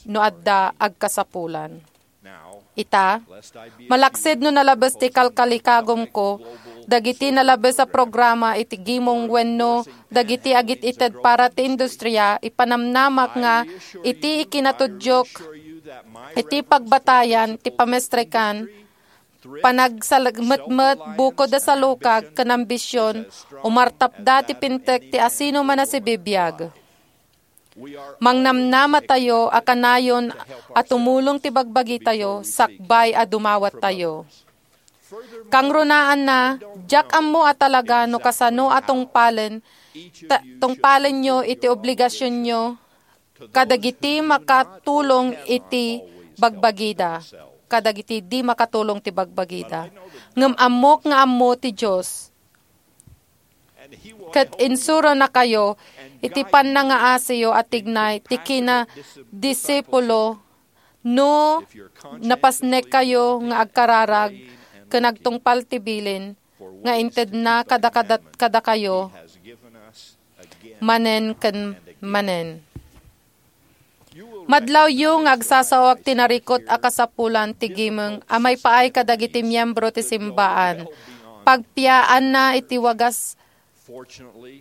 no adda agkasapulan. Ita, malaksid no nalabes ti kalkalikagumko, dagiti nalabes a programa iti gimong wenno dagiti agit-ited para ti industria, ipanamnamak nga iti ikinatuddiok iti pagbatayan ti pamestrekan, panagsalagmetmet, bukod a salukag ken ambision, umartapda ti pintek ti asino man a sibibiag. Mangnamnamatayo a kanayon a tumulong ti bagbagitayo sakbay a dumawattayo. Kangrunaanna, diak ammo a talaga no kasano a tungpalen, ta-, tungpalenyo iti obligasionyo kadagiti makatulong iti bagbagida, kadagiti di makatulong ti bagbagida. Ngem ammok nga ammo ti Dios. Ket insuronakayo iti pannangaasiyo a tignay ti kinadisipulo no napasnekkayo nga agkararag ken agtungpal ti bilin nga intedna kada, kada, kadakayo manen ken manen. Madlawyo nga agsasaoak ti narikut a kasapulan ti gimong a maipaay kadagiti miyembro ti simbaan. Pagpiaanna iti wagas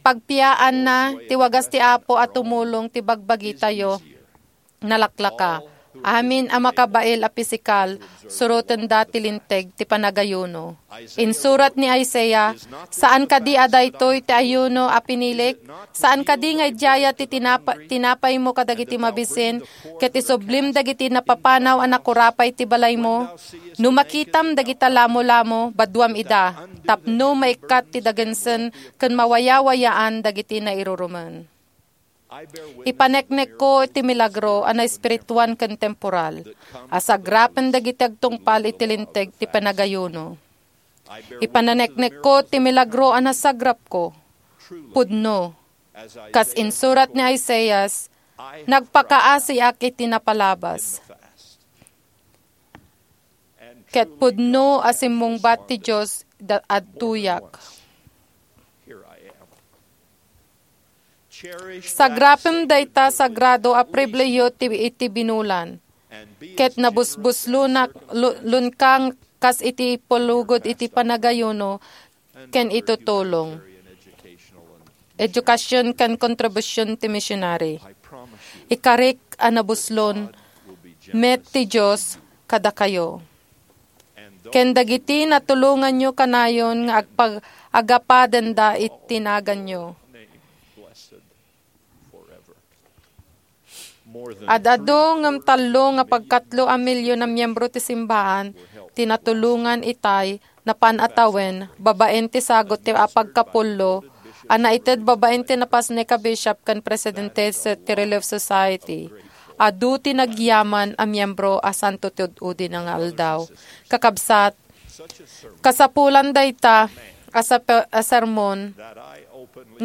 pagpiaanna ti wagas ti Apo a tumulong ti bagbagitayo. Nalaklaka. Amin a makabail a pisikal, surotenda ti linteg ti panagayuno. Insurat ni Isaiah, "Saan kadi a daytoy ti ayuno a pinilik? Saan kadi nga idiaya ti tinapa-, tinapaymo kadagiti mabisin, ket isublim dagiti napapanaw a nakurapay ti balaymo? No makitam dagita lamolamo, baduam ida, tapno maikkat ti dagensen ken mawayawayaan dagiti nairurumen." Ipaneknekko iti milagro a naespirituan ken temporal a sagrapen dagiti agtungpal iti linteg ti panagayuno. Ipaneknekko ti milagro a nasagrapko. Pudno. Kas insurat ni Isaias, "Nagpakaasiak iti napalabas." Ket pudno a simmungbat ti Dios da-, adtoyak. Sagrapem dayta sagrado a pribilehiyo ti, iti binulan. Ket nabusbuslonak, lu-, lunkang kas iti ipulugod iti panagayuno ken itutulong. Edukasyon ken kontribusion ti misionary. Ikarik a nabuslon met ti Dios kadakayo. Ken dagiti natulonganyo kanayon nga agpag-, agapadenda iti naganyo. Ad-adu ngem tallo nga pagkatlo a milyon a miyembro ti simbaan ti natulongan itay napan a tawen babaen ti sagut ti apagkapullo a naited babaen ti napasnek a bishop ken presidente ti Relief Society. Adu ti nagyaman a miyembro a santo ti ud-udi nga aldaw. Kakabsat, kasapulan dayta a sape-, a sermon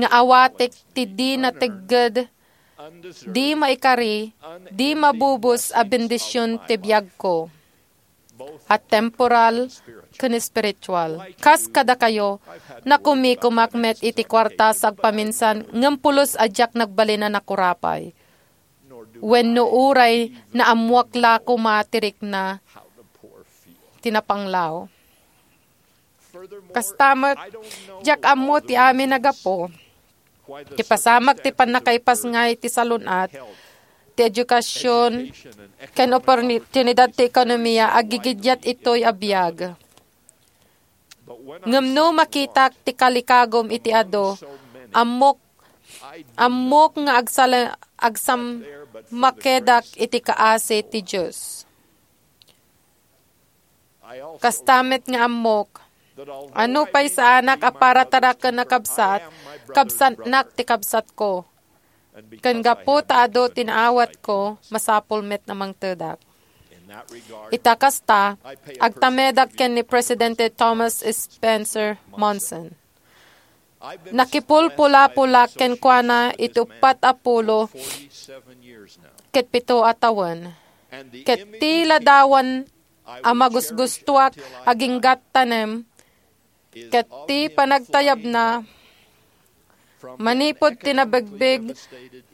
nga awatek ti di nategged, di maikari, di mabubos a bendision ti biagko, a temporal ken espiritual. Kas kadakayo, nakumikumak met iti kuarta sa agpaminsan ngem pulos a diak nagbalin a nakurapay. Wenno uray naammoak la koma ti rikna ti napanglaw. Kasta met, diak ammo ti amin a gapu. Ti pasamak ti pannakaipasngay ti salun-at, ti edukasyon, ken oportunidad ti ekonomiya, aggigiddiat itoy a biag. Ngem no makitak ti kalikagum iti adu, ammok, ammok nga agsala-, agsammakedak iti kaasi ti Dios. Kasta met nga ammok, a nupay saanak a parataraken a kabsat, kabsatnak ti kabsatko. Ken gapu ta adu ti naawatko, masapul met a mangtedak. Ita kasta, agtamedak ken ni Presidente Thomas Spencer Monson. Nakipulpulapolak kenkuana iti uppat a pulo ket pito a tawen. Ket ti ladawan a magusgustoak aginggattanem ket ti panagtayabna manipud ti nabigbig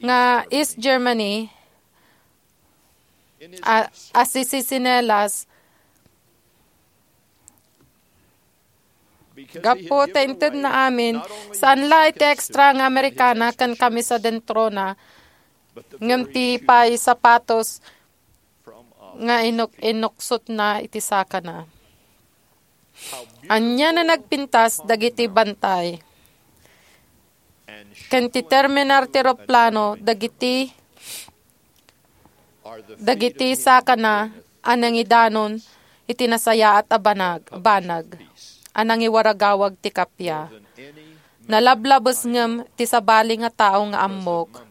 nga East Germany a, a sisisinelas. Gapu ta intedna amin, saan la iti extra nga Amerikana ken kamisa dentrona, ngem ti pay sapatos nga inuk-, inuksotna iti sakana. Ania a nagpintas dagiti bantay ken ti terminal ti eroplano dagiti, dagiti sakana a nangidanon iti nasayaat a banag, banag a nangiwaragawag ti kappia. Nalablabes ngem ti sabali nga tao nga ammok.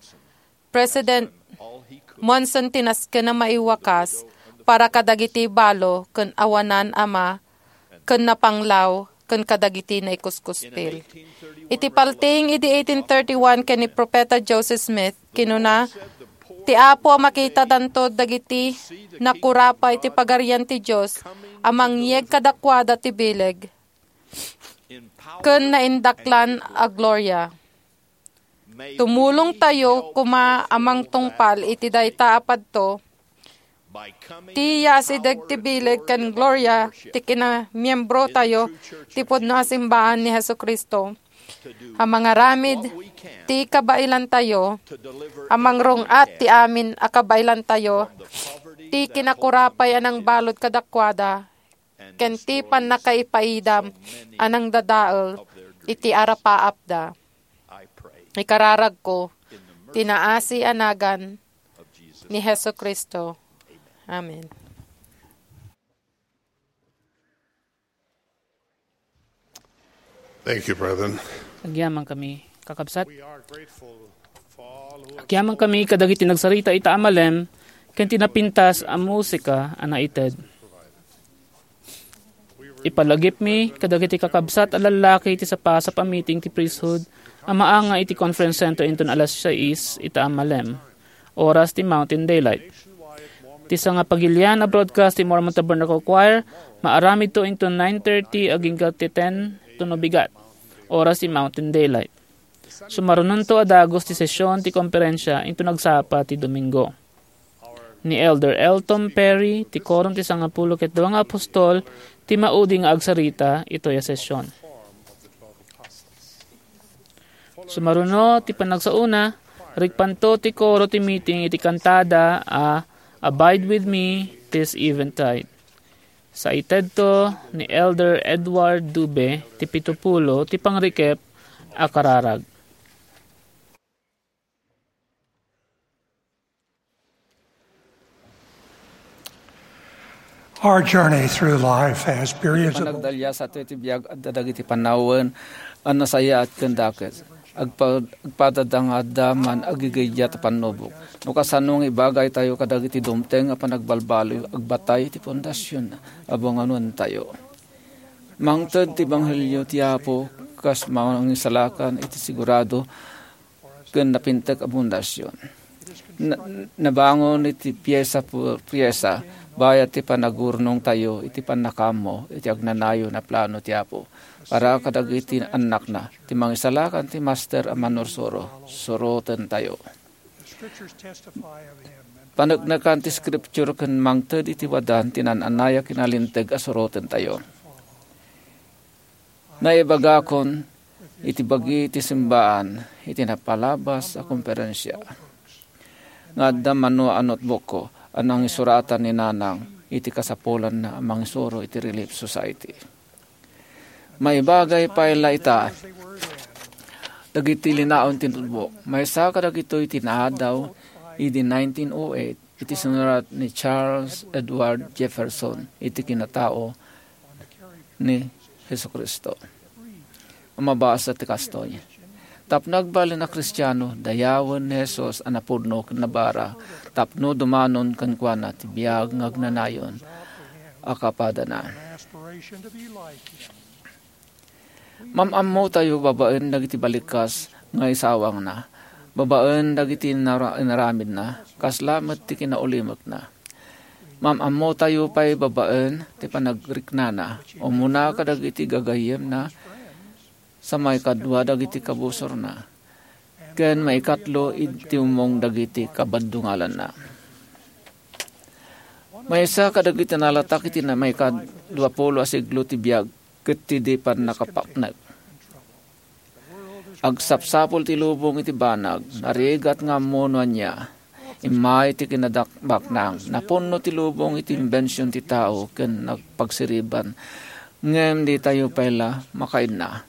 President Monson ti nasken a maiwakas para kadagiti balo ken awanan a ma-, ken napanglaw ken kadagiti naikuskuspil. Iti paltiing idi eighteen thirty-one ken ni Profeta Joseph Smith, kinuna, "Ti Apo a makitadanto dagiti nakurapa iti Pagarian ti Dios a mangyeg kadakuada ti bileg ken naindaklan a gloria." Tumulongtayo koma a mangtungpal iti dayta a padto, ti yaasideg ti bileg ken gloria ti kinamiembrotayo ti pudno a simbaan ni Jesu-Cristo, a mangaramid ti kabailantayo, a mangrung-at ti amin a kabailantayo, ti kinakurapay a nangbalud kadakuada, ken ti pannakaipaidam a nangdadael iti arapaapda. Ikararagko ti naasi a nagan ni Jesu-Cristo. Amen. Thank you, brethren. Agyamankami, kakabsat. Agyamankami kadagiti nagsarita ita a malem ken ti napintas a musika a naited. Ipalagipmi kadagiti kakabsat a lallaki iti sapasap a meeting ti priesthood a maanga iti Conference Center inton alas sais ita a malem, oras ti Mountain Daylight. Ti sangapagilian a broadcast ti Mormon Tabernacle Choir, maaramidto inton nine thirty agingga ti ten to no bigat, oras ti Mountain Daylight. Sumarunonto a dagus ti sesion ti komperensia inton agsapa ti Domingo. Ni Elder Elton Perry ti Korom ti Sangapulo ket Dua nga Apostol ti maudi nga agsarita itoy a sesion. Sumaruno ti panagsaona, rikpanto ti koro ti meeting iti kantada a "Abide with Me This Eventide." Saitedto ni Elder Edward Dube ti pitupulo ti pangrikep a kararag. Our journey through life has periods of Panagdalias atoy ti biag, adda dagiti panawen a nasayaat ken dakes. Agpa-, agpadada nga adda man agigayat a pannubok. No kasano nga ibagaytayo kadagiti dumteng a panagbalbaliw, agbatay ti pundasyon a bunganontayo. Mangted ti ebanghelio ti Apo kas mangisalakan iti sigurado ken napintek a pundasyon. Na-, nabangon iti piesa por piesa, bayat ti panagurnongtayo iti pannakaammo iti agnanayon a plano ti Apo para kadagiti annakna. Ti mangisalakan ti master a manursuro, surotentayo. Paneknekan ti Scripture ken mangted iti wadan ti naan-anay a kinalinteg a surotentayo. Naibagakon iti bagi ti simbaan iti napalabas a komperensia nga adda mano a notebookko a nangisuratan ni Nanang iti kasapulanna a mangisuro iti Relief Society. Maibagay pay la ita dagiti linaon ti notebook. Maysa kadagitoy ti naadaw idi nineteen oh eight iti sinurat ni Charles Edward Jefferson iti kinatao ni Jesu-Cristo. A mabasa ti kastoy, "Tapno agbalin a Kristiano, dayawen ni Jesus a napudno ken nabara tapno dumanon kenkuana ti biag nga agnanayon a kapadana." Mam-ammotayo babaen dagiti balikas nga isawangna, babaen dagiti inara-, inaramidna, kasla met ti kinaulimekna. Mam-ammotayo pay babaen ti panagriknana, umuna kadagiti gagayyemna, sa maikadua dagiti kabusorna, ken maikatlo iti umong dagiti kabaddungalanna. Maysa kadagiti nalatak iti na-, maikadua pulo a siglo ti biag ket ti di pannakapaknek. Agsapsapul ti lubong iti banag, narigat nga ammo no ania. Immay ti kinadakbaknang, napunno ti lubong iti imbension ti tao ken nagpagsiriban. Ngem ditayo pay la makaidna.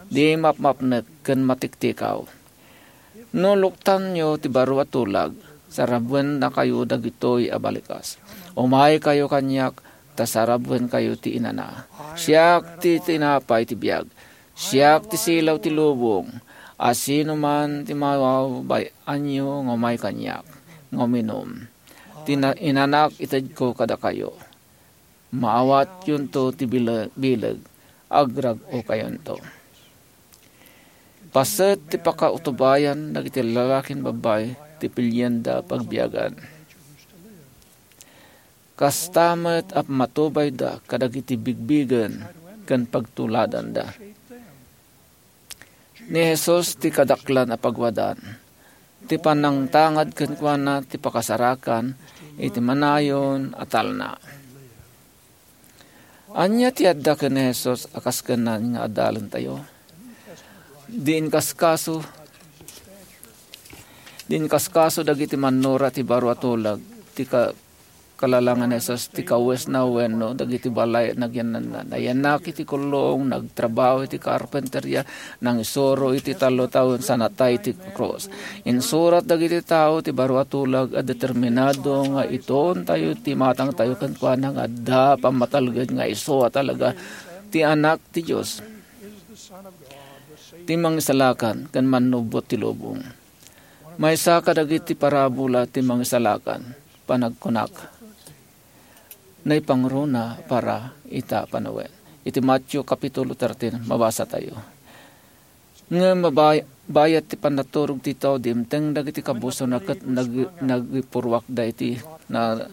Di mapmapnek ken matiktikaw. No luktanyo ti baro a tulag, sarabennakayo dagitoy a balikas. Umaykayo kaniak, ta sarabbenkayo ti inana. Siak ti tinapay ti biag. Siak ti silaw ti lubong. Asinoman ti mawawbay-anyo nga umay kaniak, nga uminum ti na-, inanak itedko kadakayo. Maawatyonto ti bile-, bileg. agrag-okayonto. Paset ti pakautubayan dagiti lalaken babbai ti pilienda pagbiagan. Kasta met a matubayda kadagiti bigbigen ken pagtuladanda. Ni Jesus ti kadaklan a pagwadan, ti panangtangad kenkuana ti pakasarakan iti manayon a talna. Ania ti adda ken ni Jesus a kaskenan nga adalentayo? Di inkaskaso, di inkaskaso dagiti mannura ti baro a tulag ti ka-, kalalangan ni Jesus ti kawesna wenno dagiti balay a nagyannanna. Nayanak iti kullong, nagtrabaho iti karpenteria, nangisuro iti tallo tawen sa natay ti krus. Insurat dagiti tao ti baro a tulag a determinado nga itoontayo ti matangtayo kenkuana nga adda pammatalged nga isu a talaga ti Anak ti Dios, ti Mangisalakan ken Mannubbot ti lubong. Maysa kadagiti parabola ti Mangisalakan, panagkunak, naipangruna para ita panawen. Iti Mateo Kapitulo thirteen, mabasa tayo. Ngem mabay-, bayat ti pannaturog ti tao, dimteng dagiti kabusorna ket nag-, nagipurruakda iti na-,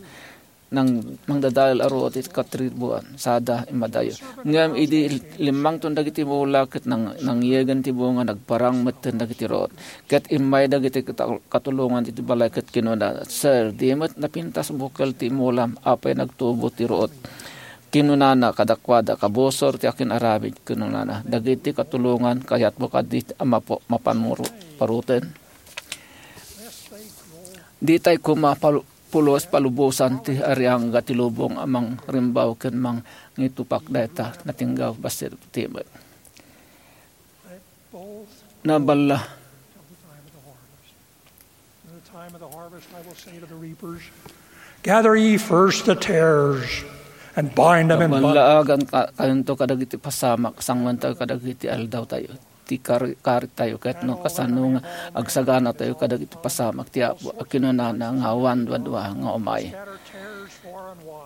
nang-, mangdadael a ruot iti katribuan, sada immadayo. Ngem idi limmangton dagiti mula ket nang-, nangyegen ti bunga, nagparang metten dagiti ruot. Ket immay dagiti kata-, katulongan iti balay ket kinuna, "Sir, di met napintas bukel ti mulam, apay nagtubo ti ruot?" Kinunana kadakuada, "Kabusor ti akin-aramid," kinunana. "Dagiti katulongan, kayatmo kadi a mapo-, mapanmuru-, paruten? Ditay koma palu-, pulos palubosan ti ariangga ti lubong a mangrimbaw ken mangitupak dayta natinggaw bassit ti met." Naballa. In the time of the harvest, I will say to the reapers, "Gather ye first the tares and bind them in bundles." Naballaagan ka-, kayonto kadagiti pasamak, sangmentayo kadagiti aldaw tayo. Ti kari-, kari tayo, ket no kasano nga agsagana tayo kadagiti pasamak ti Apo, a kinunana nga awan duadua nga umay.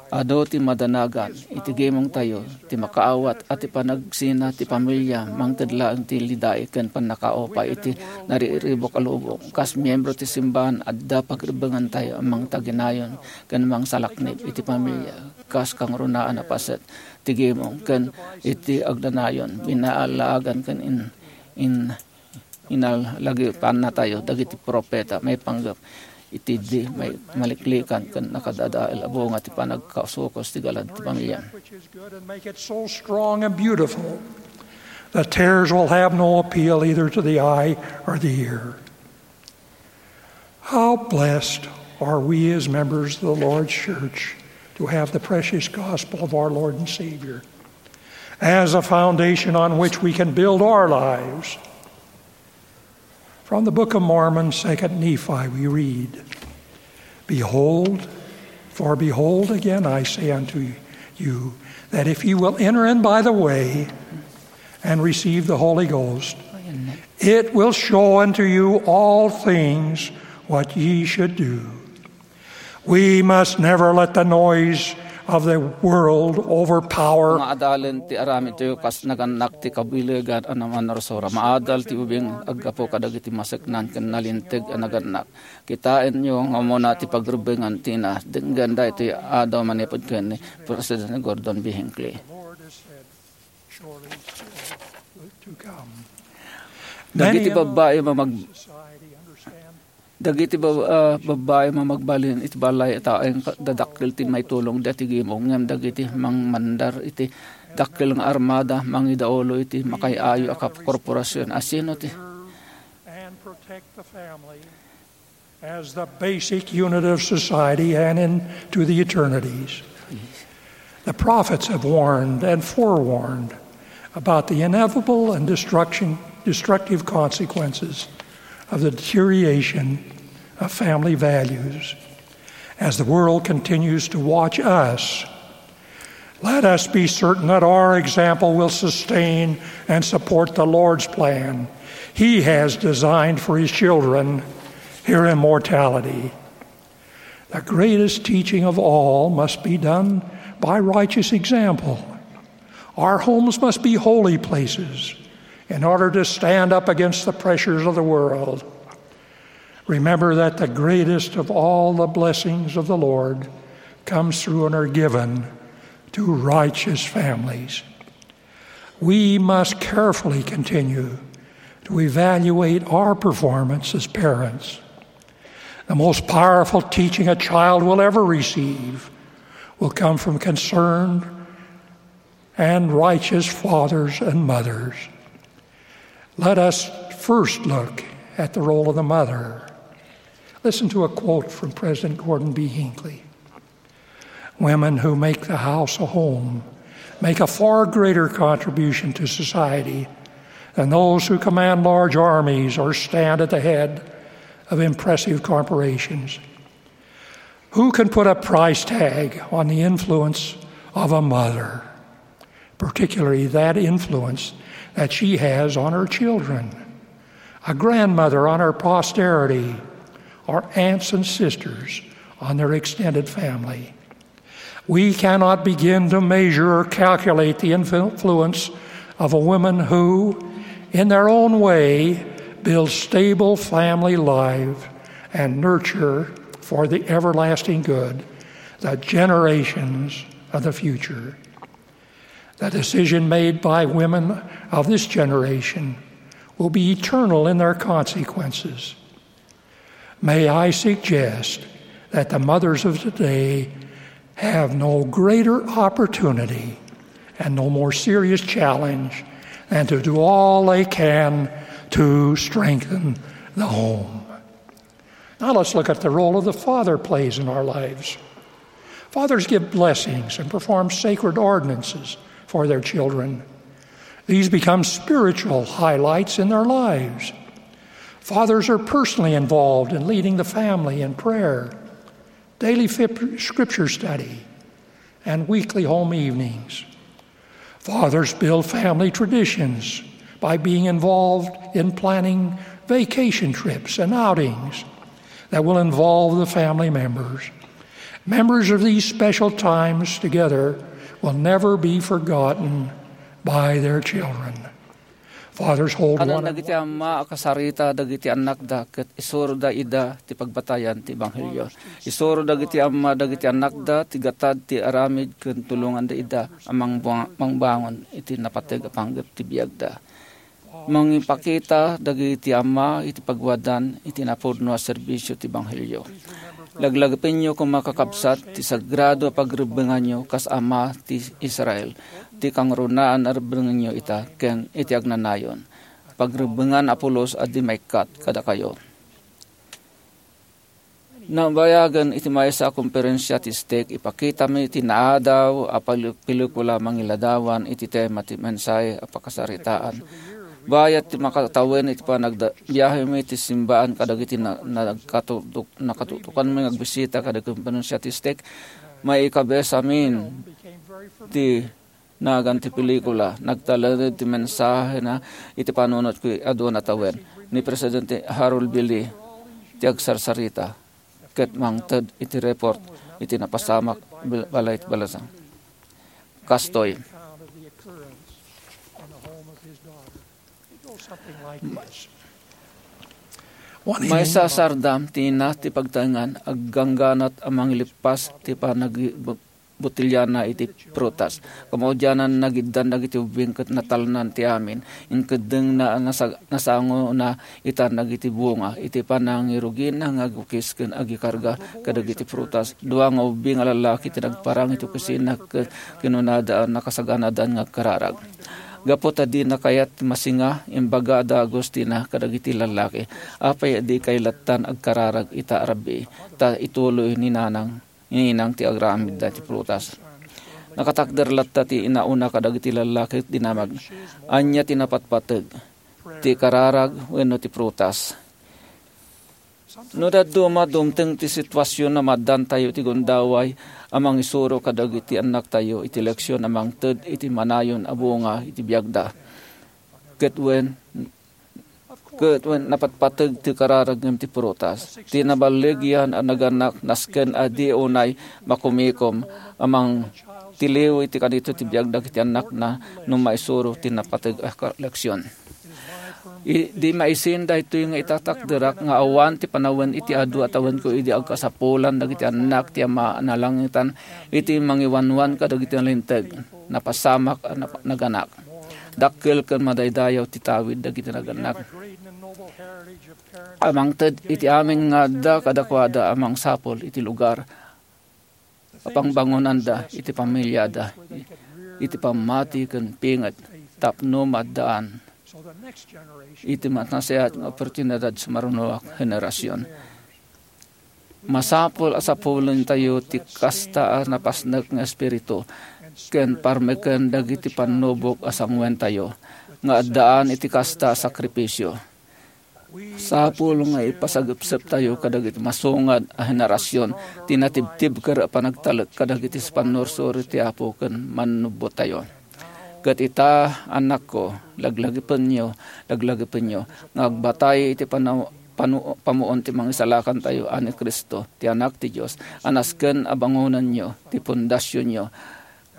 Adu ti madanagan iti gimongtayo, ti makaawat a ti panagsina ti pamilia, mangted laeng ti lidai ken pannakaupay iti nariribuk a lubong. Kas miembro ti simbahan, adda pagrebbengantayo a mangtaginayon ken mangsalaknib iti pamilia, kas kangrunaan a paset ti gimong ken iti agnanayon, binaalaagan ken in-, in-, inalagipannatayo dagiti profeta maipanggep iti di mai-, maliklikan ken nakadadael a bunga ti panagkasukoso ti galad ti pamilia. Which is good and make it so strong and beautiful that tares will have no appeal either to the eye or the ear. How blessed are we as members of the Lord's church to have the precious gospel of our Lord and Savior as a foundation on which we can build our lives. From the Book of Mormon, Second Nephi, we read, "Behold, for behold, again I say unto you, that if you will enter in by the way and receive the Holy Ghost, it will show unto you all things what ye should do." We must never let the noise of the world overpower. Maadalen ti aramidtayo kas nagannak ti kabilegan a namanursura. Maadal ti ubing aggapu kadagiti maseknan ken nalinteg a nagannak. Kitaenyo nga umuna ti pagrebbengan ti ina. Denggen daytoy a adu manipud ken ni President Gordon B. Hinckley. Dagiti babbai nga mag-, Dagiti bab-, ah, babbai nga magbalin iti balay a taeng ka-, dadakkel ti maitulongda iti gimong, ngem dagiti mangmandar iti dakkel nga armada, mangidaulo iti makaay-ayo a kap-, korporasion. Asino ti And protect the family as the basic unit of society and into the eternities. The prophets have warned and forewarned about the inevitable and destruction, destructive consequences of the deterioration of family values. As the world continues to watch us, let us be certain that our example will sustain and support the Lord's plan He has designed for His children here in mortality. The greatest teaching of all must be done by righteous example. Our homes must be holy places in order to stand up against the pressures of the world. Remember that the greatest of all the blessings of the Lord comes through and are given to righteous families. We must carefully continue to evaluate our performance as parents. The most powerful teaching a child will ever receive will come from concerned and righteous fathers and mothers. Let us first look at the role of the mother. Listen to a quote from President Gordon B. Hinckley. Women who make the house a home make a far greater contribution to society than those who command large armies or stand at the head of impressive corporations. Who can put a price tag on the influence of a mother, particularly that influence that she has on her children, a grandmother on her posterity, or aunts and sisters on their extended family? We cannot begin to measure or calculate the influence of a woman who, in their own way, build stable family life and nurture for the everlasting good the generations of the future. The decision made by women of this generation will be eternal in their consequences. May I suggest that the mothers of today have no greater opportunity and no more serious challenge than to do all they can to strengthen the home. Now let's look at the role of the father plays in our lives. Fathers give blessings and perform sacred ordinances for their children. These become spiritual highlights in their lives. Fathers are personally involved in leading the family in prayer, daily fip- scripture study, and weekly home evenings. Fathers build family traditions by being involved in planning vacation trips and outings that will involve the family members. Memories of these special times together will never be forgotten by their children. Fathers hold Anan one dagiti amma a kasarita dagiti annakda ket isuroda ida ti pagbatayan ti ebanghelio. Isuro dagiti amma dagiti annakda ti gatad ti aramid ken tulonganda ida a mangba-, mangbangon iti napateg a panggep ti biagda. Mangipakita dagiti amma iti pagwadan iti napudno a serbisio ti ebanghelio. Laglagipenyo koma, kakabsat, ti sagrado a pagrebbenganyo kas ama ti Israel, ti kangrunaan a rebbenganyo ita ken iti agnanayon. Pagrebbengan a pulos a di maikkat kadakayo. Nabayagen iti maysa a komperensia ti stake, ipakitami ti naadaw a pali-, pelikula mangiladawan iti tema ti mensahe a pakasaritaan. Bayat ti makatawen iti panagda-, biahemi ti simbaan kadagiti na-, nagkatutok-, nakatutokanmi nga agbisita kadagiti komperensia ti stake, maikabesamin ti nagan ti pelikula. Nagtalned ti mensahena iti panunot ket adu a natawen. Ni Presidente Harold B. Lee ti agsarsarita ket mangted iti report iti napasamak bal-, balay ti balasan. Kastoy. Maysa a sardam ti ina ti pagtaengan, aggangganat a mangilippas ti panagi-, botelliana iti prutas. Kamaudianan, nagiddan dagiti ubbing ket natalnan ti amin. Inkeddengna a nasa-, nasangona ita dagiti bunga iti panangirugina nga agukis ken agikarga kadagiti prutas. Dua nga ubbing a lallaki ti nagparang iti opisina ket kinunada a nakasaganadan nga agkararag. Gapu ta dina kayat ti masinga, imbagada a Agustina kadagiti lallaki, "Apay a dikay lattan agkararag ita a rabii, ta ituloy ni Nanang, ni Ninang ti aramidda ti prutas?" Nakatakder latta ti inauna kadagiti lallaki ket dinamag, "Ania ti napatpateg, ti kararag wenno ti prutas?" No dadduma, dumteng ti situasion a maaddantayo iti gundaway a mangisuro kadagiti annaktayo iti leksion a mangted iti manayon a bunga iti biagda. Ket wen, ket wen napatpateg ti kararag ngem ti prutas, ti naballigian a naganak nasken a di unay makumikom a mang-, ti liw iti kanito ti biag dagiti annakna no maisuro ti napateg a ka-, leksion. I-, di maisin daytoy nga itatakderak nga awan ti panawen iti adu a tawenko idi agkasapulan dagiti annak ti Ama a nalangitan iti mangiwanwan kadagiti nalinteg, napasamak a nap-, naganak. Dakkel ken madaydayaw ti tawid dagiti naganak. Amangted iti amin nga adda kadakuada a mangsapul iti lugar a pangbangonanda iti pamiliada, iti pammati ken pinget tapno maaddaan iti nasayaat nga oportunidad sa marunoak generasion. Masapul a sapulentayo ti kasta a napasnek nga espiritu ken parmeken dagiti pannubok a sanguentayo nga addaan iti kasta a sakripisio. Sapul nga ipasagepseptayo kadagiti masungad a henerasion ti natibtibker a panagtalek kadagiti pannursuro ti Apo ken Mannubbotayo. Ket ita, annakko, laglagipenyo, laglagipenyo nga agbatay iti panaw-, panu-, pamuon ti Mangisalakantayo a ni Cristo, ti Anak ti Dios, a nasken a bangonenyo ti pundasionyo,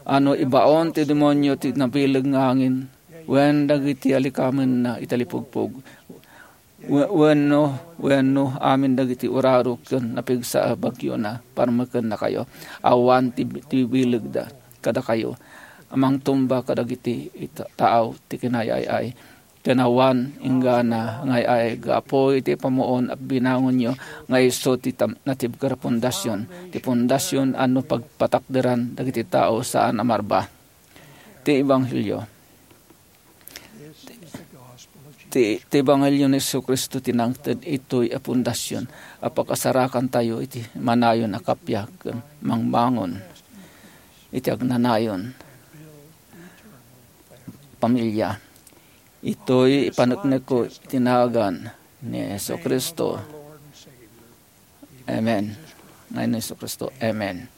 a no ibaon ti demonio ti nabileg nga angin, wen dagiti alikamenna iti talipugpog, we-, wenno, wenno amin dagiti uraro ken napigsa a bagiona, parmekennakayo. Awan ti, ti bilegda kadakayo a mangtumba kadagiti ita-, taaw ti kinayay-ay. Ken awan inggana nga ay-ay gapu iti pamuon a binangonyo nga isu ti tam-, natibker a pundasion, ti pundasion a no pagpatakderan dagiti tao saan a marba. Ti Ebanghelio. Ti, ti Ebanghelio ni Jesu-Cristo ti nangted itoy a pundasion a pakasarakantayo iti manayon a kappia ken mangbangon iti agnanayon pamilya. Itoy ipaneknekko iti nagan ni Jesu-Cristo. Amen. Ngayon ni Jesu-Cristo. Amen.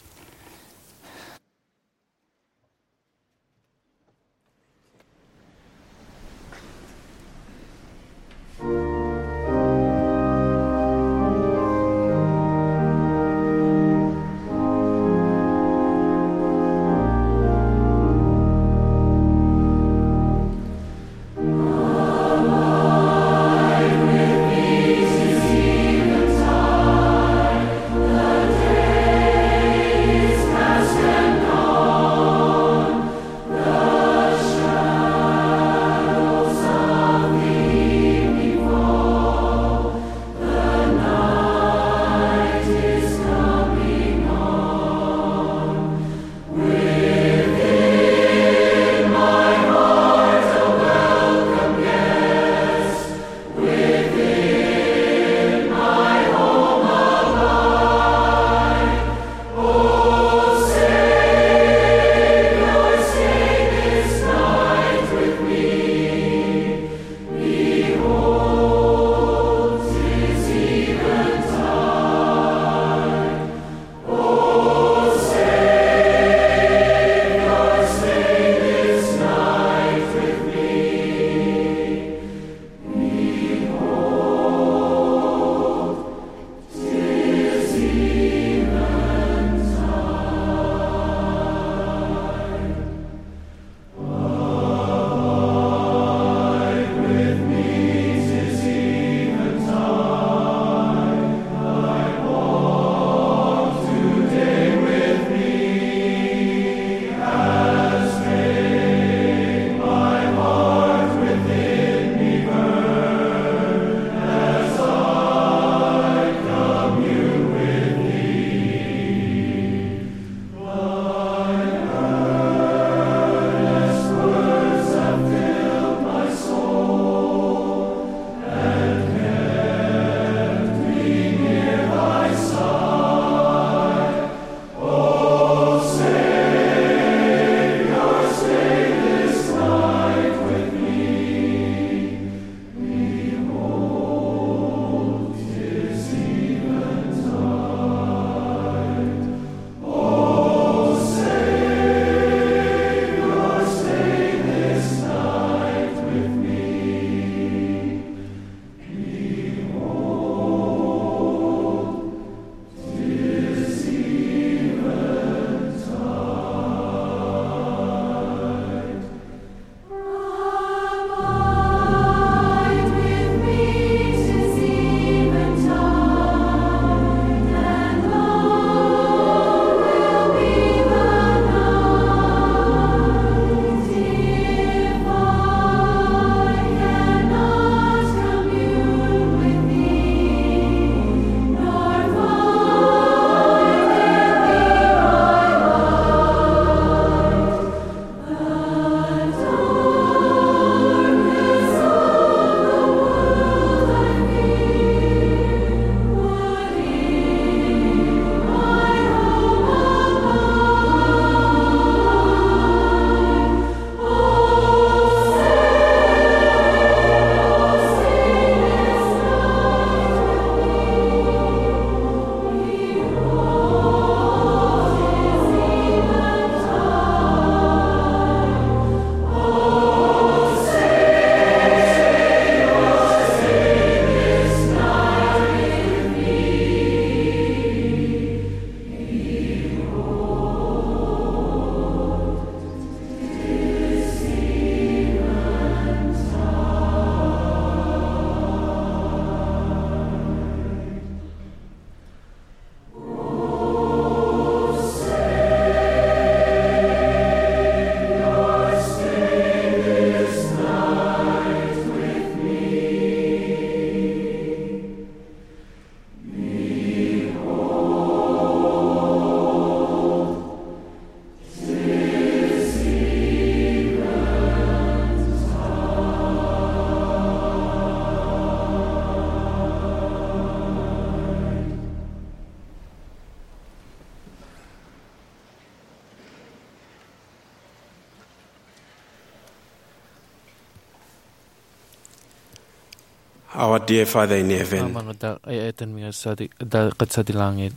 Our dear Father in heaven, Ama nga da-, ay-ayatenmi nga sadi-, da-, kad sadi langit.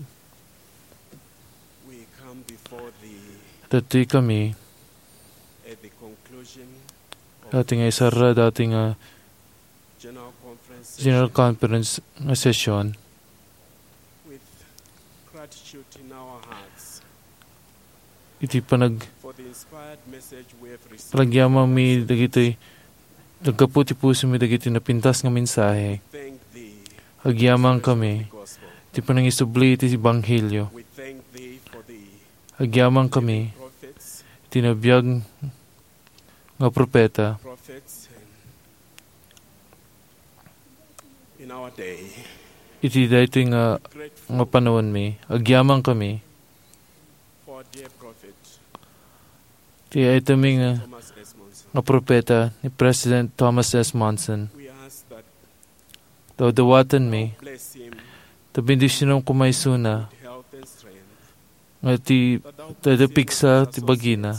We come before thee Ditoy kami, at the conclusion of dati nga isara, dati nga General Conference General session. Conference nga session. With gratitude in our hearts Iti panag-, for the inspired message we have received. Panagyamangmi dagiti, naggapu ti pusomi dagiti napintas nga mensahe. Thank thee Agyamang for the kami gospel. Ti panangisubli iti ebanghelio. We thank thee for the Agyamang kami prophets iti nabiag nga propeta. Prophets in our day. Iti daytoy nga, nga panaonmi, agyamang kami. For our dear prophet, ti ay-ayatenmi nga, Thomas S. Monson. Nga propeta ni President Thomas S. Monson. We ask that Dawdawatenmi, bless him ta bendisionam koma isuna, health and strength. Nga ti, ta dayta pigsa ti bagina.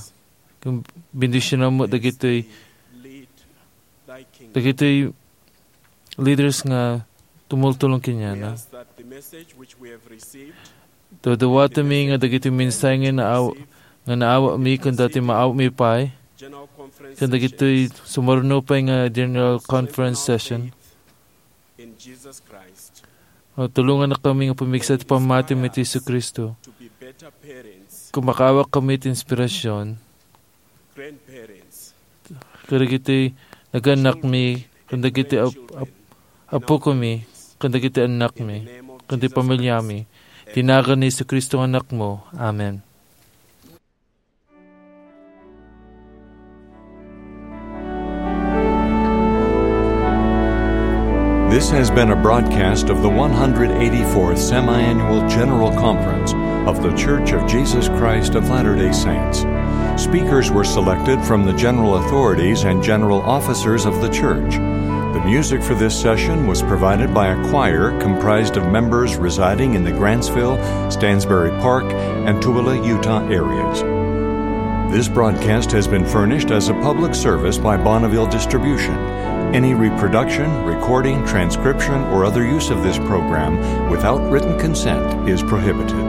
Ken bendisionam met dagitoy, dagitoy leaders nga tumultulong kenkuana. Dawdawatenmi nga dagitoy mensahe nga naaw-, nga naawatmi ken dagiti maawatmi pay, ken dagitoy sumaruno pay nga General Conference session. Nga tulongannakami nga pamigsa ti pammatimi ti Jesu-Cristo. Ken makaawat kami ti inspirasyon kadagiti nagan-annakmi, ken dagiti ap-, ap-, apukami, ken dagiti annakmi, ken ti pamiliami. Iti nagan ni Jesu-Cristo nga Anakmo. Amen. This has been a broadcast of the one hundred eighty-fourth Semiannual General Conference of The Church of Jesus Christ of Latter-day Saints. Speakers were selected from the general authorities and general officers of the church. The music for this session was provided by a choir comprised of members residing in the Grantsville, Stansbury Park, and Tooele, Utah areas. This broadcast has been furnished as a public service by Bonneville Distribution. Any reproduction, recording, transcription, or other use of this program without written consent is prohibited.